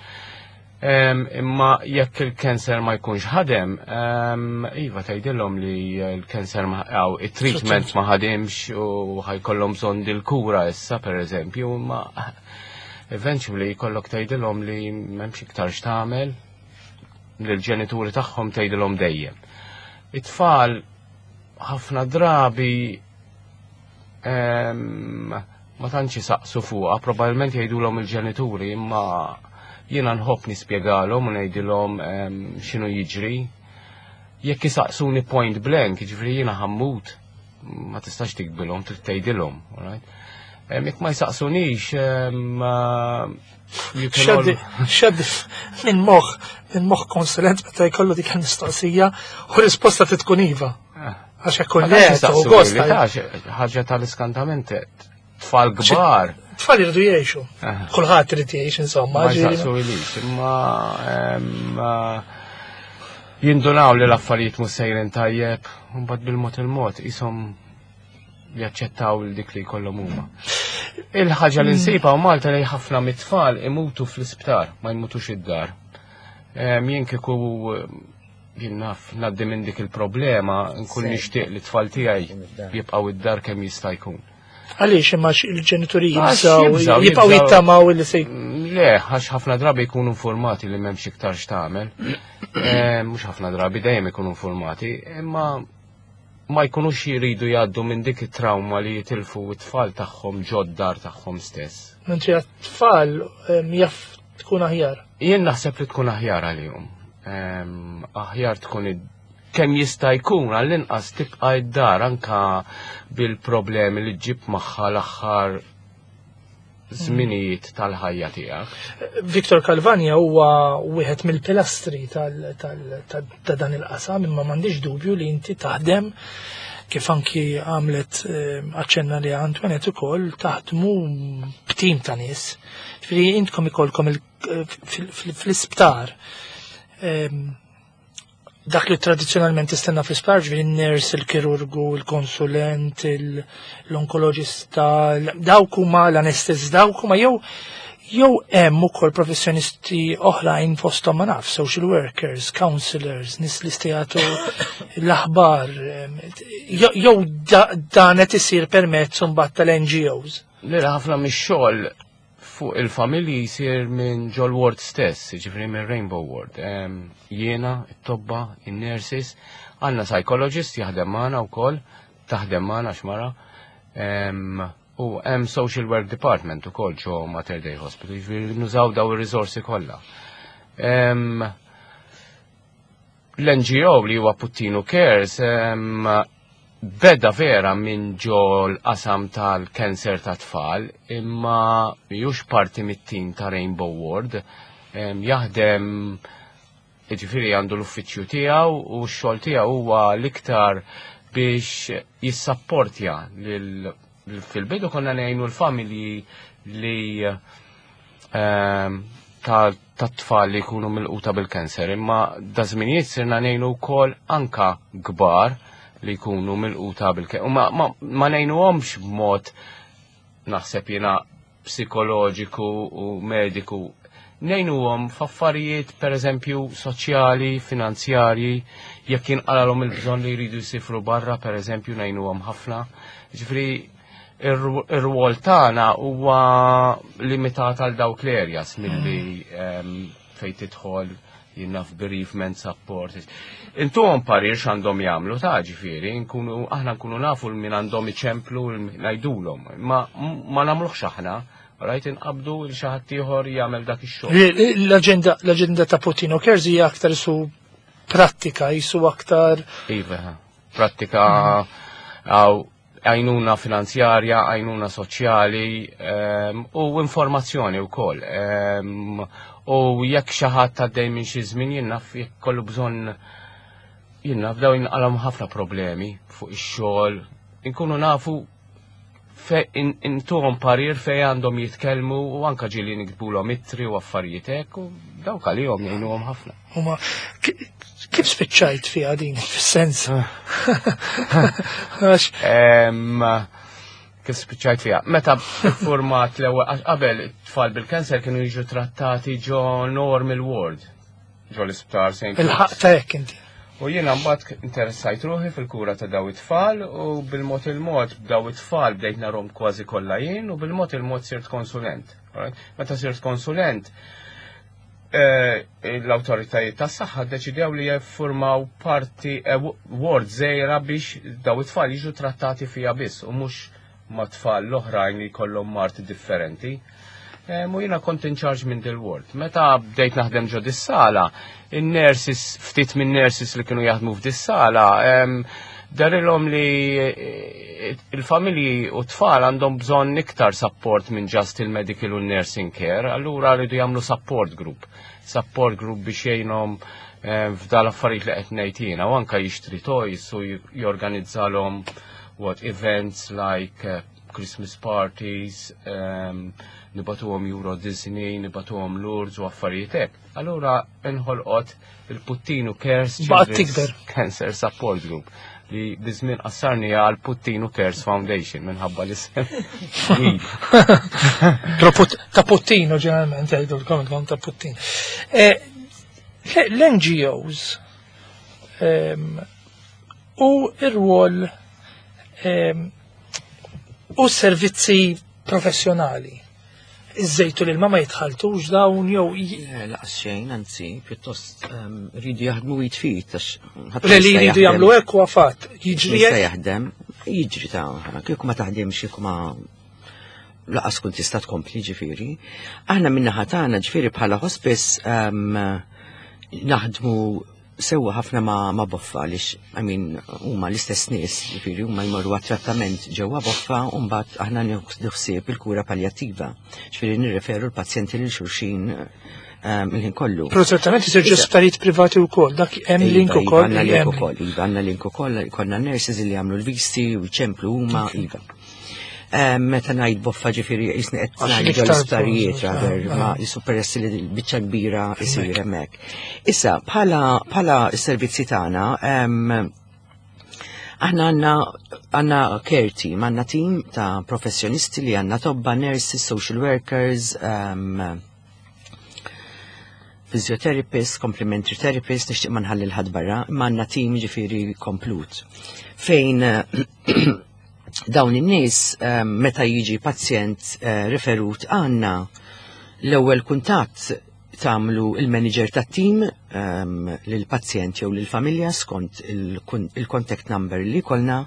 Imma jekk il-cancer ma jkunx ħadem, iva tgħidilhom li l-cancer ma għaw it-treatment ma ħadimx u ħa jkollhom bżonn dil-kura issa pereżempju, imma eventually jkollok tgħidilhom li m'hemmx iktar x'tagħmel, lill-ġenituri tagħhom tgħidilhom dejjem. It-tfal ħafna drabi ma tantx isaqsu fuqha, probabbilment jgħidulhom il-ġenituri, imma jiena nħobb nispjegalhom u ngħidilhom x'inhu jiġri. Jekk isaqsuni point blank, jiġifieri jiena ħa mmut, ma tistax tikbilhom, trid tgħidilhom, alright? Jekk ma jsaqsunix,
Xed minn moħ, minn moħ konsulent meta jkollu dik il-mistoqsija u risposta tkun iva. Għax jekk le,
gost. Ħaġa tal-iskantament, tfal kbar.
Tfal jridu jgħixu. Kulħadd irid jgħix insomma.
Ma jsaqsu ilix, imma jindunaw li l-affarijiet mhux sejrin tajjeb, u mbagħad bil-mod il-mod ishom jaċċettaw l dik li jkollhom huma. Il-ħaġa li nsibha u Malta li ħafna mit-tfal imutu fl-isptar, ma jmutux id-dar. Jien kieku jien naf ngħaddi minn dik il-problema, nkun nixtieq li t-tfal tiegħi jibqgħu id-dar kemm jista' jkun.
Għaliex imma il-ġenituri jibżaw, jibqgħu jittamaw li se.
Le, għax ħafna drabi jkunu informati li m'hemmx iktar x'tagħmel. Mhux ħafna drabi, dejjem ikunu informati, imma ma jkunux jiridu jgħaddu minn dik it-trauma li jitilfu t-tfal tagħhom ġod-dar tagħhom stess.
Mentri għat-tfal jaf tkun aħjar.
Jien naħseb li tkun aħjar għalihom. Aħjar tkun kemm jista' jkun għall-inqas tibqa' id-dar anka bil-problemi li ġib magħha l-aħħar żminijiet tal-ħajja tiegħek.
Victor Calvagna huwa wieħed mill-pilastri ta' dan il-qasam, imma m'għandix dubju li inti taħdem kif anki għamlet aċċenna li Antoinette ukoll taħdmu b'tim ta' nies. Ġifieri intkom ikolkom fl-isptar dak li tradizzjonalment tistenna fl-isptar, ġifieri n-nurse, il-kirurgu, il-konsulent, l-onkoloġista, dawk huma l-anestesist, dawk huma jew jew hemm ukoll professjonisti oħrajn fosthom ma naf, social workers, counselors, nies li jagħtu l-aħbar, jew dan qed isir permezz imbagħad tal-N G Os.
Le, ħafna mix-xogħol fuq il-familji jisir minn ġol ward stess, ġifieri minn Rainbow Ward. Jiena, it-tobba, in-nurses, għandna psychologist jaħdem magħna wkoll, taħdem magħna xmara, u hemm social work department ukoll ġo Mater Dei Hospital, ġifieri nużaw daw ir-riżorsi kollha. L-N G O li huwa Puttinu Cares beda vera minn ġo l-qasam tal-kanser ta' tfal, imma mhux parti mit-tim ta' Rainbow Ward, jaħdem, ġifieri għandu l-uffiċċju tiegħu u x-xogħol tiegħu huwa l-iktar biex jissapportja lil fil-bidu konna ngħinu l-familji li ta' tfal li jkunu milquta bil-kanser, imma da żminijiet sirna ngħinu wkoll anka kbar li jkunu milquta bil-kanser. U ma, ma, ma ngħinuhomx b'mod naħseb jiena psikoloġiku u mediku. Ngħinuhom f'affarijiet pereżempju soċjali, finanzjarji, jekk jinqalalhom il-bżonn li jridu jsifru barra, pereżempju ngħinuhom ħafna. Ġifieri ir-rwol tagħna huwa limitat għal dawk l-areas milli fejn tidħol jinnaf bereavement support. Intuhom parir x'għandhom jagħmlu ta' ġifieri, nkunu aħna nkunu nafu min għandhom iċemplu ngħidulhom, ma ma nagħmluhx aħna, rajt inqabdu il xi ħadd ieħor jagħmel dak ix-xogħol.
L-aġenda l-aġenda ta' Puttinu Cares hija aktar su prattika, jisu aktar.
Iva, prattika għaw Għajnuna finanzjarja, għajnuna soċjali em, u informazzjoni wkoll. Em, U jekk xi ħadd għaddej minn xi żmien, jien naf, jekk kollu bżonn, jien naf, daw jinqalgħu ħafna problemi fuq ix-xogħol. Inkunu nafu fe intuhom parir fej għandhom jitkellmu u anka ġieli niktbulhom ittri u affarijiet hekk u dawk għalihom jgħinuhom ħafna.
Huma ki- kif spiċċajt fiha din, fis-sens? Għax
Em, Kif spiċċajt fiha? Meta format l-ewwel, għax qabel it-tfal bil-kanser kienu jiġu trattati ġo normal ward ġo l-isptar Saint
Il-ħaq ta' hekk inti.
U jiena mbagħad interessajt ruħi fil-kura ta' daw it-tfal u bil-mod il-mod daw it-tfal bdejt narhom kważi kollha jien u bil-mod il-mod sirt konsulent. Alright? Meta sirt konsulent, eh, l-awtoritajiet tas-saħħa ddeċidew li jiffurmaw parti eh, ward żgħira biex daw it-tfal jiġu trattati fiha biss u mhux ma' tfal l-oħrajn li jkollhom mard differenti. Eh, Mu jiena kont in charge minn dil-ward. Meta bdejt naħdem ġo dis-sala, in-nurses, ftit minn nurses li kienu jaħdmu f'dis-sala, em, dehrilhom li eh, il-familji u tfal għandhom bżonn iktar support minn just il-medical u nursing care, allura rridu jagħmlu support group. Support group biex jgħinhom eh, f'dal affarijiet li qed ngħid jiena u anka jixtri toys u jorganizzalhom what events like uh, Christmas parties, um, nibagħtuhom Euro Disney, nibagħtuhom Lourdes u affarijiet hekk. Allura inħolqot il-Puttinu Cares
Baqgħet
Children's
tikber.
Cancer Support Group li biż-żmien qassarni għal Puttinu Cares Foundation minħabba l-isem.
Però put- ta' Puttino ġeneralment jgħidu l-kom ta' Puttino. Eh, L-N G Os ehm, u ir-rwol ehm, u servizzi professjonali. Iż-żejtu li l-ma jitħaltux dawn jew j-
Eh, Laqas xejn, anzi, pjuttost ehm, rridu jaħdmu jitfit, għax ħadd ma
Le li
jista'
jridu
jaħdem.
jagħmlu hekk huwa fatt. Jiġri
Jista'
hekk.
jaħdem, jiġri ta' kieku ma taħdimx, kieku ma laqas kun tista' tkompli ġifieri. Aħna min-naħa tagħna ġifieri bħala hospice ehm, naħdmu sewwa ħafna ma, ma Boffa għaliex, I mean, huma l-istess nies, ġifieri huma jmorru għat-trattament ġewwa Boffa u mbagħad aħna nieħdu ħsieb il-kura palljattiva. Ġifieri nirreferu l-pazjenti lil xulxin ehm, il-ħin kollu.
Però ċertament isir ġo sptarijiet privati wkoll, dak hemm link
Iva,
ukoll.
Iva, għandna
li
link
hemm.
ukoll, iva, għandna link ukoll, konna nurses li jagħmlu l-visti u jċemplu huma, iva. Eh, Meta ngħid Boffa ġifieri jisni qed
Għax
ngħid
l-iktar
l-isptarijiet
post,
rather
ah,
ma
ah.
jisu peress li l-biċċa kbira isir hemmhekk. Issa bħala bħala s-servizzi tagħna em, aħna għandna għandna care team, għandna team ta' professjonisti li għandna tobba, nurses, social workers, um, physiotherapist, complementary therapist, nixtieq ma nħalli l-ħadd barra, imma għandna team ġifieri komplut. Fejn eh, dawn in-nies eh, meta jiġi pazjent eh, referut għandna, l-ewwel kuntatt tagħmlu il-manager tat-team um, lill-pazjent jew lill-familja skont il-contact number li kolna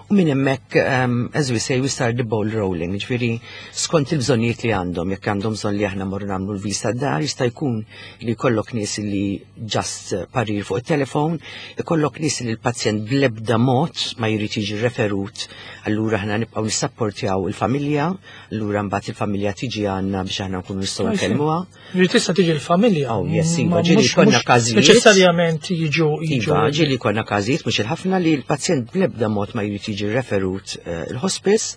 u minn hemmhekk, um, as we say, we start the ball rolling, ġifieri skont il-bżonnijiet li għandhom. Jekk għandhom bżonn li aħna morru nagħmlu l-vista d-dar, jista' jkun li jkollok nies li just parir fuq it-telefon, ikollok nies li l-pazjent bl-ebda mod ma jrid jiġi referut, allura aħna nibqgħu nissapportjaw il-familja, allura mbagħad il-familja tiġi għandna biex aħna nkunu nistgħu nkellmuha.
Ġifieri tista' tiġi l-familja.
Oh, yes, iva,
Ma
ġieli
mhux-
konna
mhux
każijiet.
Neċessarjament jiġu jiġu.
Iva, ġieli konna każijiet, mhux il-ħafna, li l-pazjent bl-ebda mod ma jrid jiġi referut eh, il-hospice,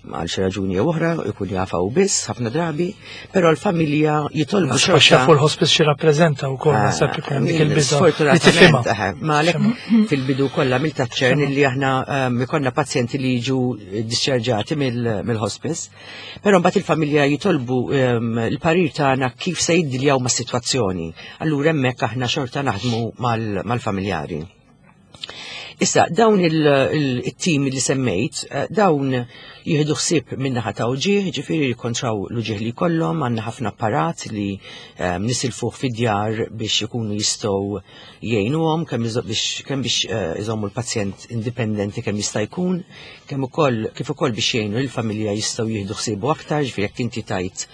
għal xi raġuni jew oħra, ikun jafaw biss ħafna drabi, però l-familja jitolbu
Naħseb għax jafu l-hospice xi rappreżenta wkoll, naħseb ikun hemm dik il-biża' li tifhimha.
Sfortunatament, eħe, ma għalhekk fil-bidu kollha mill-taċċern li aħna um, ikollna pazjenti li jiġu discharġati mill-hospice, però mbagħad il-familja jitolbu um, il-parir tagħna kif se jiddiljaw mas-sitwazzjoni. Allura hemmhekk aħna xorta naħdmu mal- mal-familjari. Issa, dawn il-team li semmejt, eh, dawn jieħdu ħsieb min-naħa ta' uġieħ, ġifieri jikkontraw l-uġieħ li kollhom, għandna ħafna apparat li eh, nisilfuh fid-djar biex ikunu jistgħu jgħinuhom, kemm iżo- biex kemm biex eh, iżommu l-pazjent indipendenti kemm jista' jkun, kemm ukoll kif ukoll biex jgħinu l-familja jistgħu jieħdu ħsiebu aktar, ġifieri jekk inti tajt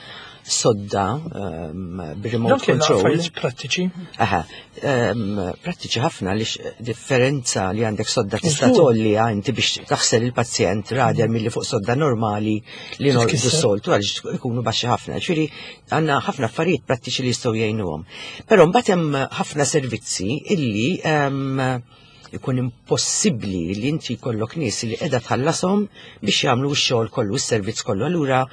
sodda um, bir-remote control.
Prattiċi.
Aha, um, prattiċi ħafna li differenza li għandek sodda tista' tgħolli inti biex taħsel il-pazjent rather milli fuq sodda normali li norqdu s-soltu għaliex ikunu baxxi ħafna. Ġifieri għandna ħafna affarijiet prattiċi li jistgħu jgħinuhom. Però mbagħad hemm ħafna servizzi illi um, ikun impossibbli li inti jkollok nies li qiegħda tħallasom biex jagħmlu x-xogħol kollu, s-servizz kollu. Allura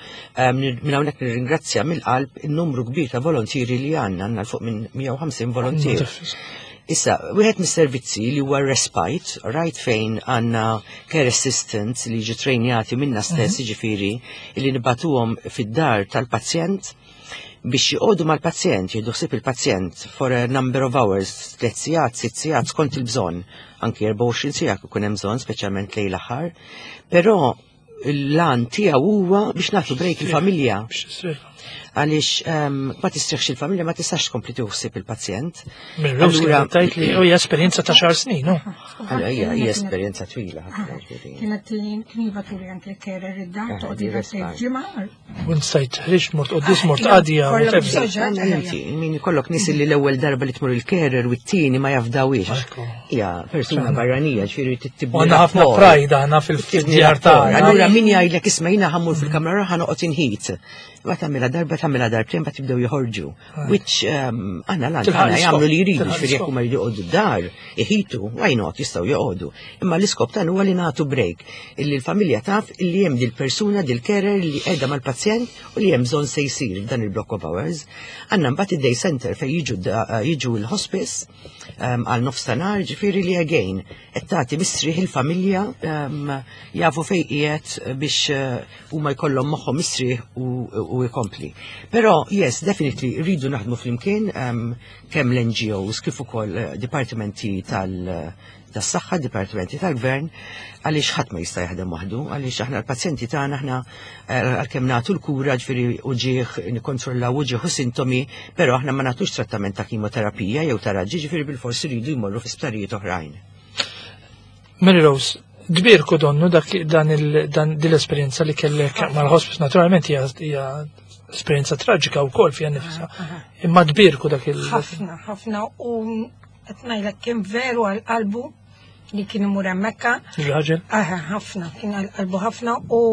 minn hawnhekk nirringrazzja mill-qalb in-numru kbir ta' volontieri li għandna, għandna fuq minn mija u ħamsin volontier. Issa, wieħed mis-servizzi li huwa respite, right, fejn għandna care assistants li jiġu trejnjati minna stess, jiġifieri li nibagħtuhom fid-dar tal-pazjent biex joqogħdu mal-pazjent, jieħdu ħsieb il-pazjent for a number of hours, tliet sigħat, sitt sigħat skont il-bżonn, anki erbgħa u għoxrin siegħa ikun hemm bżonn, speċjalment lejl aħħar. Però l-għan tiegħu huwa biex nagħtu break il-familja. Għaliex ma tistrieħx il-familja, ma tistax tkompli ħsieb il-pazjent.
Allura tajt li hija esperjenza ta' xar snin, no?
Allura hija hija esperjenza twila ħafna.
Kienet kien jibagħtuli anke carer id-dar, toqgħod ġimgħa.
U stajt ħriġt, mort qoddis, mort qadja.
Inti, min ikollok nies li l-ewwel darba li tmur il-carer u t-tieni ma jafdawiex. Hija persuna barranija, ġifieri
tibni. Għandna ħafna pride aħna fil-djar tagħna.
Allura min jgħidlek, "Isma', jiena ħa mmur fil-kamra, ħa noqgħod inħit." Ma tagħmilha darba, tagħmilha darbtejn, ba tibdew joħorġu. Which għandna lan għandna jagħmlu li jridu, ġifieri jekk huma jridu joqogħdu d-dar, iħitu, why not, jistgħu joqogħdu. Imma l-iskop tagħna huwa li nagħtu break, illi l-familja taf illi hemm dil-persuna, dil-carer li qiegħda mal-pazjent u li hemm bżonn se jsir f'dan il-block of hours. Għandna mbagħad id-day center fejn jiġu jiġu l-hospice għal nofs ta' nhar, ġifieri li again qed tagħti mistrieħ il-familja, jafu fejn qiegħed biex huma jkollhom moħħhom mistrieħ u jkompli. Però yes, definitely rridu naħdmu flimkien, kemm l-N G Os kif ukoll dipartimenti tal- tas-saħħa, dipartimenti tal-gvern, għaliex ħadd ma jista' jaħdem waħdu, għaliex aħna l-pazjenti tagħna, aħna għalkemm nagħtu l-kura, ġifieri uġigħ, nikkontrollaw uġigħ u sintomi, però aħna ma nagħtux trattament ta' kimoterapija jew ta' raġġi, ġifieri bil-forsi rridu jmorru fi sptarijiet oħrajn.
Mary Rose, tbierku donnu dak dan il dan din l-esperjenza li kellek mal-hospice, naturalment hija hija esperjenza traġika wkoll fiha nifisha. Imma tbierku dak il
Ħafna, ħafna, u qed ngħidlek kien veru għal qalbu li kien imur hemmhekk.
Il-raġel?
Aha, ħafna, kien għal qalbu ħafna u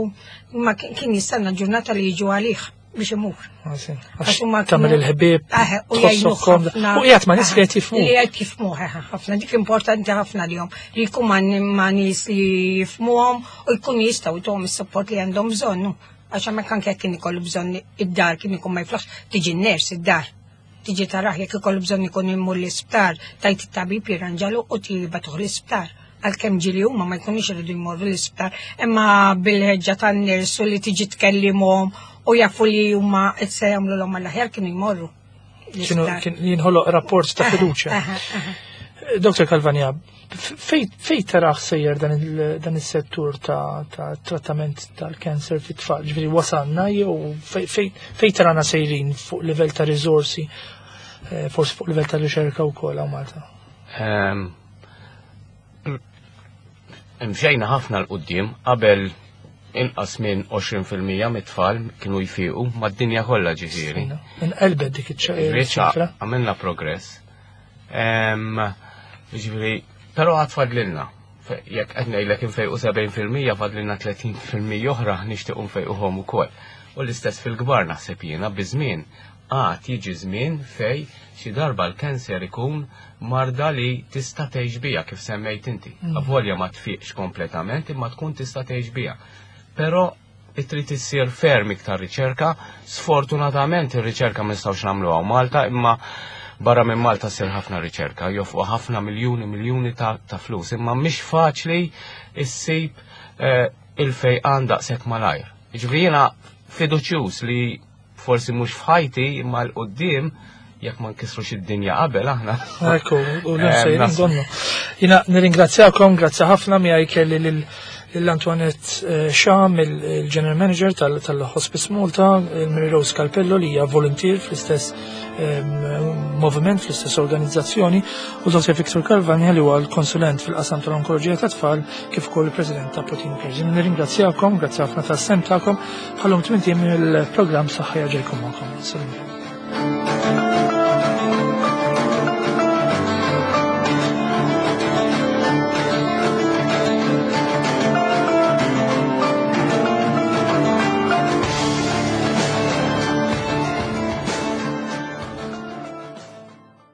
ma kien jistenna ġurnata li jiġu għalih biex imur.
Għax tagħmel il-ħbieb,
u jgħinu.
U qiegħed ma' nies li qed jifhmu.
Li qed jifhmu, ħafna, dik importanti ħafna lihom li jkun ma' nies li jifhmuhom u jkun jistgħu jtuhom is-support li għandhom bżonn. Għax hemmhekk anke kien ikollu bżonn id-dar, kien ikun ma jiflaħx, tiġi n-nurse id-dar. Tiġi taraħ jekk ikollu bżonn ikun imur l-isptar, tgħid it-tabib jirranġalu u tibagħtuh l-isptar, għalkemm ġieli huma ma jkunux iridu jmorru l-isptar, imma bil-ħeġġa tan-nurse u li tiġi tkellimhom u jafu li huma se jagħmlu l-aħjar, kienu jmorru.
Kienu kien jinħoloq rapport ta' fiduċja. Doktor Calvagna, fej taraħ sejjer dan il- dan is-settur ta' ta' trattament tal-kanser fit-tfal? Ġifieri wasalna jew fej- fej fej tarana sejrin fuq livell ta' riżorsi, eh, forsi fuq livell ta' riċerka wkoll hawn Malta?
Ehm, Imxejna ħafna 'l quddiem. Qabel inqas minn għoxrin fil-mija mit-tfal kienu jfiqu mad-dinja kollha, ġifieri.
Inqelbet dik
Riċa
iċ-ċifra.
Għamilna progress. Ehm, Ġifieri, però għad fadlilna. Fe- Jekk qed ngħidlek infejqu sebgħin fil-mija, fadlilna tletin fil-mija oħra nixtiequ nfejquhom ukoll. U l-istess fil-kbar, naħseb jiena biż-żmien għad jiġi żmien fej xi darba l-kanser ikun marda li tista' tgħix bija, kif semmejt inti. Avolja ma tfiqx kompletament, imma tkun tista' tgħix bija. Però trid issir ferm iktar riċerka. Sfortunatament ir-riċerka ma nistgħux nagħmluha Malta, imma barra minn Malta ssir ħafna riċerka, jonfqu ħafna miljuni miljuni ta', ta flus, imma mhix faċli issib eh, il-fejqan daqshekk malajr. Jiġifieri jiena fiduċjuż li forsi mhux f'ħajti, imma 'l quddiem, jekk ma nkissrux id-dinja qabel aħna.
Ekku, u
Eh,
l sejrin
naslu.
donnu. Jiena nirringrazzjakom, grazzi ħafna. Miegħi kelli lil lil Antoinette eh, Sham, il-General Manager tal-Hospice Malta, il-Mary Rose Calpello li hija volunteer fl-istess ehm, moviment, fl-istess organizzazzjoni, u Dottor Victor Calvagna li huwa l-konsulent fil-qasam tal-onkoloġija tat-tfal kif ukoll il-President ta' Puttinu Cares. Nirringrazzjakom, grazzi ħafna tas-sehem tagħkom, bħal-lum tmint ijiem il-programm Saħħa jerġa' jkun magħkom. Salam.